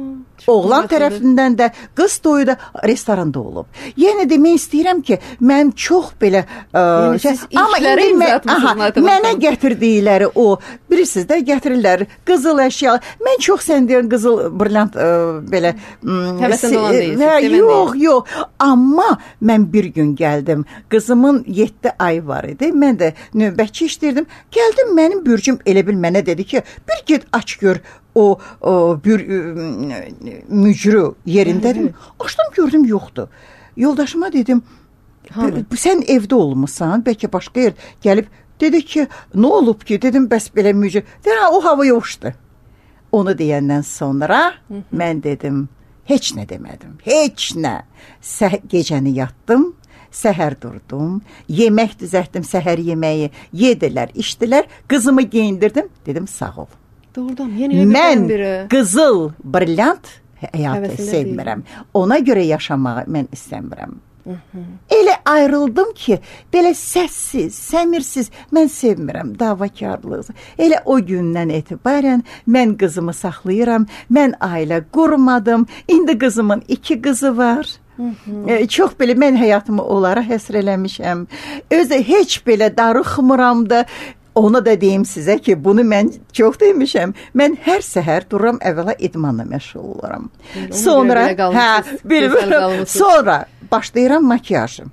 Oğlan tərəfindən də, qız toyu da restoranda olub. Yəni demək istəyirəm ki, mən çox belə ə, yəni, şey, amma indi mən, aha, mənə gətirdikləri o, bilirsiniz də, gətirirlər qızıl əşya. Mən çox sən deyən qızıl brilliant ə, belə həvəsində olan deyilsiniz. Yox, yox. Amma mən bir gün gəldim. Qızımın yeddi ay var idi. Mən də növbətçi işləyirdim. Gəldim, mənim bürcüm elə bil mənə dedi ki, bir get aç gör. O, o bir mücrü yerindədir. Açdım, gördüm, yoxdur. Yoldaşıma dedim, sən evdə olmuşsan, bəlkə başqa yer gəlib, dedi ki, nə olub ki, dedim, bəs belə mücrü. Dedi, o havaya uçdu. Onu deyəndən sonra Hı-hı. mən dedim, heç nə demədim, heç nə. Səh- gecəni yatdım, səhər durdum, yemək düzəltdim, səhər yeməyi yedilər, içdilər, qızımı geyindirdim, dedim, sağ ol. Doğrudan, yeni mən qızıl brilliant həyatı sevmirəm. Ona görə yaşamağı mən istəmirəm. Hı-hı. Elə ayrıldım ki, belə səssiz, səmirsiz, mən sevmirəm davakarlığı. Elə o gündən etibarən mən qızımı saxlayıram, mən ailə qurmadım, indi qızımın iki qızı var. E, çox belə mən həyatımı onlara həsr eləmişəm. Özü heç belə darıxmıram da. Ona da deyim sizə ki, bunu mən çox demişəm. Mən hər səhər dururam, əvvəla idmanla məşğul olaram. Sonra, hə, bilmirəm, sonra başlayıram makiyajım.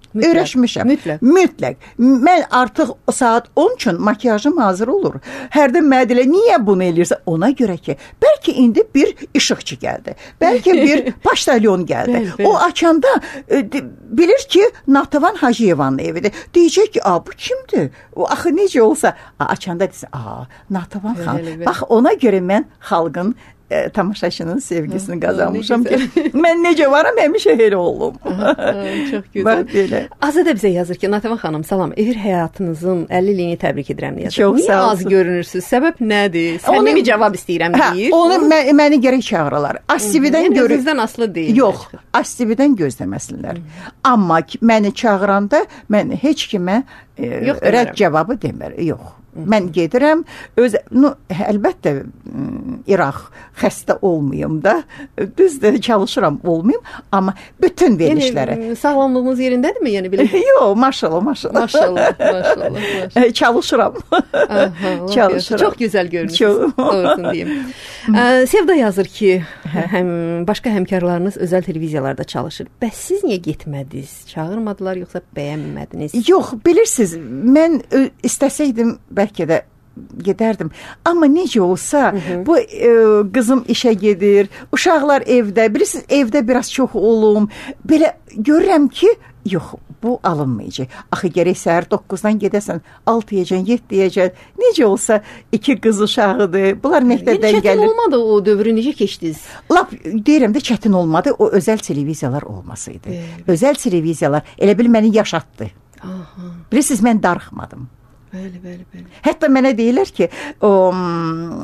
Mütləq, öyrəşmişəm. Mütləq. Mütləq. Mən artıq saat on üçün makiyajım hazır olur. Hərdən mənə deyirlər, niyə bunu eləyirsən? Ona görə ki, bəlkə indi bir işıqçı gəldi. Bəlkə bir paştalyon gəldi. Bəl, bəl. O açanda e, bilir ki, Natavan Hacıyevanın evidir. Deyəcək ki, a, bu kimdir? O, axı necə olsa, a, açanda desin, a, Natavan xan. Bax, ona görə mən xalqın E, tamaşaçının sevgisini qazanmışam ki, mən necə varam, həmişə elə olum. Çox gözəl. Azadə bizə yazır ki, Natavan xanım, salam, efir həyatınızın əlli ilini təbrik edirəm yazır. Çox Niyə sağ az görünürsünüz? Səbəb nədir? Səmimi cavab istəyirəm deyir. Hə, onu mən, məni gərək çağırırlar. Astividən görür. Yəni sizdən asılı deyil. Yox, Astividən gözləməsinlər. Amma məni çağıranda mən heç kimə e, rədd cavabı demir. Yox. Mən gedirəm, öz, no, əlbəttə İraq xəstə olmayım da, düzdür, çalışıram olmayım, amma bütün verilişlərə. Yəni, sağlamlığınız yerindədirmi? Yəni, belə... Yox, maşallah, maşallah. Maşallah, maşallah. maşallah. Çalışıram. Aha, Çalışıram. Çox gözəl görünürsünüz, doğrusunu deyim. Sevda yazır ki, həm, başqa həmkarlarınız özəl televiziyalarda çalışır. Bəs siz niyə getmədiniz? Çağırmadılar, yoxsa bəyənmədiniz? Yox, bilirsiniz, mən istəsəydim, bəlkə də gedərdim. Amma necə olsa, hı -hı. bu e, qızım işə gedir, uşaqlar evdə, bilirsiniz, evdə biraz çox olum. Belə görürəm ki, yox, bu alınmayacaq. Axı gərək səhər doqquzdan gedəsən, altıyacan, yeddiyacan, necə olsa iki qız uşağıdır. Bunlar məktəbdən gəlir. Çətin olmadı o dövrü, necə keçdiniz? Lap deyirəm də çətin olmadı, o özəl televiziyalar olmasaydı. Evet. Özəl televiziyalar elə bil məni yaşatdı. Aha. Bilirsiniz, mən darıxmadım. Bəli, bəli, bəli. Hətta mənə deyirlər ki, o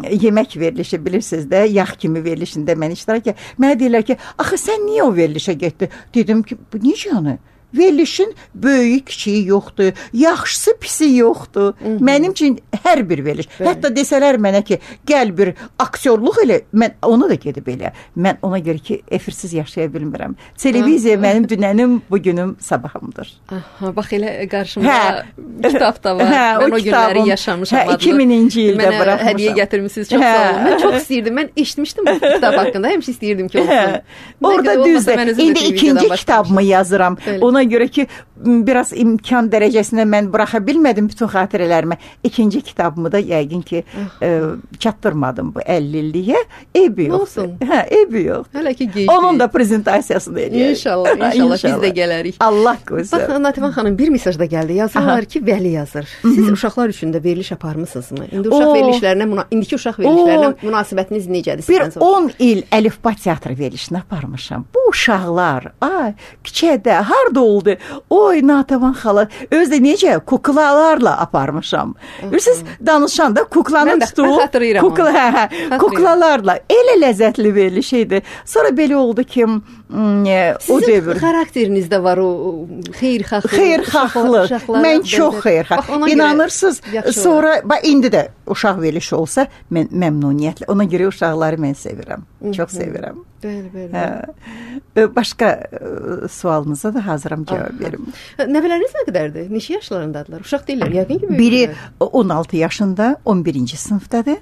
yemək verilişi bilirsiniz də, yağ kimi verilişində mən iştirak edirəm. Mənə deyirlər ki, axı sən niyə o verilişə getdin? Dedim ki, bu necə yəni? Verilişin böyük, kiçiyi yoxdur, yaxşısı, pisi yoxdur. Hı -hı. Mənim üçün hər bir veriliş. Bəli. Hətta desələr mənə ki, gəl bir aktyorluq elə, mən ona da gedib elə. Mən ona görə ki, efirsiz yaşaya bilmirəm. Televiziya mənim dünənim, bugünüm, sabahımdır. Aha, bax elə qarşımda hə. kitab da var. Hə, mən o, o günləri yaşamışam. Hə, iki mininci ildə mənə buraxmışam. Mənə hədiyyə gətirmişsiniz, çox hə. sağ olun. Mən çox istəyirdim, mən eşitmişdim bu kitab haqqında, həmişə istəyirdim ki, olsun. Hə. Orada düzdür, indi ikinci kitabımı yazıram. Bəli. Ona görə ki, biraz imkan dərəcəsində mən buraxa bilmədim bütün xatirələrimi. İkinci kitabımı da yəqin ki, e, çatdırmadım bu əlli illiyə. Eybi yoxdur. Hə, eybi yox. Hələ ki gecdir. Onun da prezentasiyasını eləyək. İnşallah, inşallah, inşallah biz də gələrik. Allah qoysun. Bax, Natavan xanım, bir mesaj da gəldi. Yazırlar ki, Vəli yazır. Siz Hı -hı. uşaqlar üçün də veriliş aparmısınızmı? İndi uşaq o, verilişlərinə, indiki uşaq verilişlərinə o, münasibətiniz necədir? Bir on il Əlifba teatrı verilişini aparmışam. Bu uşaqlar, ay, küçədə, harda oldu? Oy, Natavan xala, özdə necə kuklalarla aparmışam. Bilirsiniz, danışanda kuklanın tutuğu, kukla, hə, hə, kuklalarla elə ləzzətli veriliş idi. Sonra belə oldu ki, o dövr. Sizin xarakterinizdə var o xeyirxahlıq. Xeyirxahlıq. Mən çox xeyirxahlıq. İnanırsınız, sonra, bax, indi də uşaq verilişi olsa, mən məmnuniyyətlə, ona görə uşaqları mən sevirəm. Çox sevirəm. Bəli, bəli. Başqa sualınıza da hazıram cavab verim. Nəvələriniz nə qədərdir? Neçə yaşlarındadılar? Uşaq deyirlər, yəqin ki, biri on altı yaşında, on birinci sinifdədir.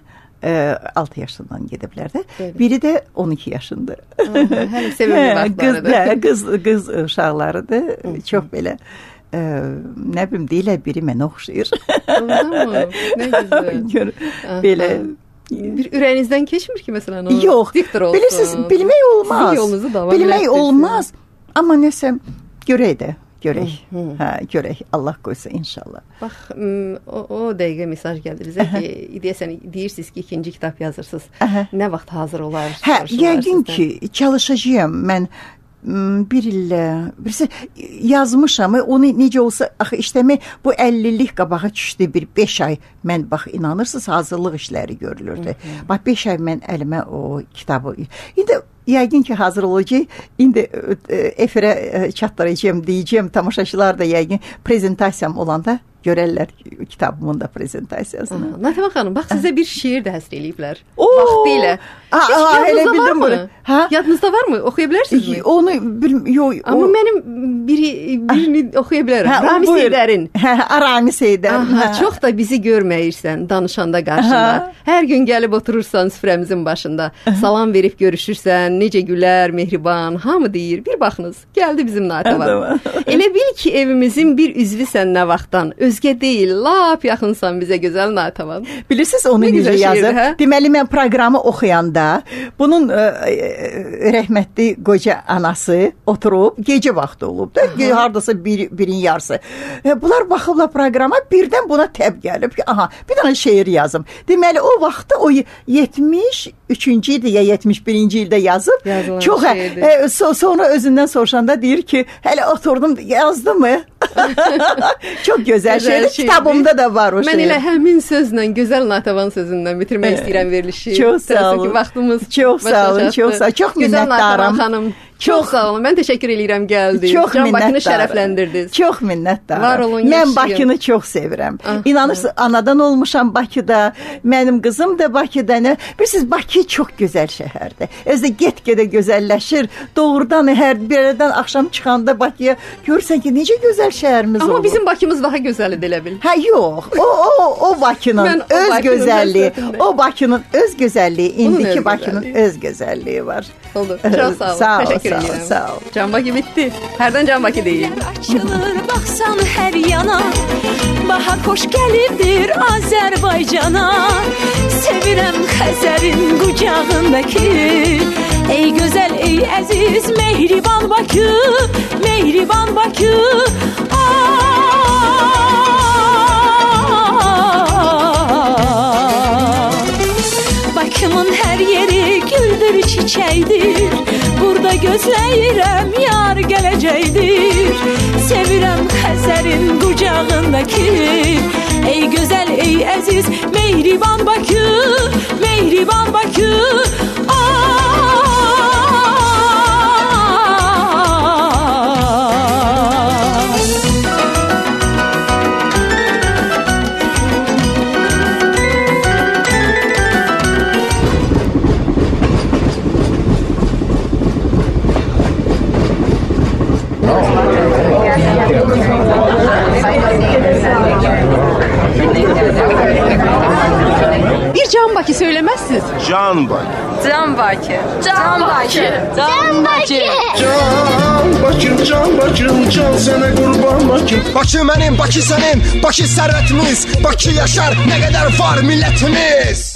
altı yaşından gediblər də. Bəli. Biri də on iki yaşında. Hələ sevimli vaxtlarıdır. Qız, qız uşaqlarıdır. Çox belə Ə, nə bilim, deyirlər, biri mənə oxşayır. Nə güzel. Belə bir ürəyinizdən keçmir ki, məsələn, o yox, diktor olsun. Bilirsiniz, bilmək olmaz. Sizin yolunuzu davam bilmək olmaz. Amma nəsə, görək də. Görək, hə, görək. Allah qoysa inşallah. Bax, o, o dəqiqə mesaj gəldi bizə ki, deyəsən, deyirsiniz ki, ikinci kitab yazırsınız. Aha. Nə vaxt hazır olar? Hə, yəqin ki, çalışacağım. Mən bir illə, birisi yazmışam, onu necə olsa, axı işləmək, bu əllilik qabağa düşdü bir beş ay, mən, bax, inanırsınız, hazırlıq işləri görülürdü. Hı -hı. Bax, beş ay mən əlimə o kitabı, indi yəqin ki, hazır olacaq. İndi efirə çatdıracağım, deyəcəm, tamaşaçılar da yəqin prezentasiyam olanda görərlər kitabımın da prezentasiyasını. Natəvan xanım, bax sizə bir şeir də həsr eləyiblər. Oo! Vaxtilə. Aa, aa, elə bildim bunu. Hə? Yadınızda varmı? Oxuya bilərsinizmi? Onu bilm, yox. Amma o... mənim biri birini oxuya bilərəm. Hə, Ramiz Heydərin. Hə, Ramiz Heydər. Aha, çox da bizi görməyirsən danışanda qarşında. Aha. Hər gün gəlib oturursan süfrəmizin başında. Aha. Salam verib görüşürsən, necə gülər, mehriban, hamı deyir. Bir baxınız, gəldi bizim Natəvan. Elə bil ki, evimizin bir üzvüsən nə vaxtdan. Özgə deyil, lap yaxınsan bizə gözəl Natəvan. Bilirsiniz onu necə yazır? Hə? Deməli mən proqramı oxuyanda bunun ə, rəhmətli qoca anası oturub, gecə vaxtı olub da, aha, hardasa bir, birin yarısı. E, bunlar baxıblar proqrama, birdən buna təb gəlib ki, aha, bir dənə şeir yazım. Deməli o vaxtda o yetmiş üçüncü ildə ya yetmiş birinci ildə yazıb. Yazılan çox e, so, sonra özündən soruşanda deyir ki, hələ oturdum, yazdı mı? Çox gözəl şeir. Kitabımda da var o şeir. Mən elə həmin sözlə, gözəl Natəvan sözündən bitirmək istəyirəm verilişi. Çox sağ olun. Ki, vaxtımız çox sağ olun, çox sağ olun. Çox minnətdaram. Xanım, çox sağ olun. Mən təşəkkür eləyirəm gəldiniz. Çox Can Bakını minnətdaram. şərəfləndirdiniz. Çox minnətdaram. Var olun, mən yaşayın. Bakını çox sevirəm. Ah, İnanırsınız, ah. anadan olmuşam Bakıda. Mənim qızım da Bakıda. Bilirsiniz, Bakı çox gözəl şəhərdir. Özü də get-gedə gözəlləşir. Doğrudan hər birdən axşam çıxanda Bakıya görürsən ki, necə gözəl şəhərimiz Amma olur. Amma bizim Bakımız daha gözəldir elə bil. Hə, yox. O o o Bakının o öz Bakının gözəlliyi, o Bakının öz gözəlliyi, indiki öz Bakının gözəlliyi. öz gözəlliyi var. Oldu. Çox sağ olun. Sağ ol, Təşəkkür sağ ol, edirəm. sağ ol. Can Bakı bitdi. Hərdən Can Bakı deyil. Açılır baxsan hər yana, bahar xoş gəlibdir Azərbaycana. Sevirəm Xəzərin qucağındakı, ey gözəl, ey əziz, mehriban Bakı, mehriban Bakı. Bakımın hər yeri güldür, çiçəkdir. Burada gözləyirəm, yar gələcəkdir. Sevirəm Xəzərin qucağındakı, ey gözəl, ey əziz, mehriban Bakı, mehriban Bakı. Bir Can Bakı söylemezsiniz. Can Bakı. Can Bakı. Can Bakı. Can Bakı. Can Bakım, can Bakım, can sənə qurban Bakım. Bakı mənim, Bakı sənin, Bakı sərvətimiz, Bakı yaşar, nə qədər var millətimiz.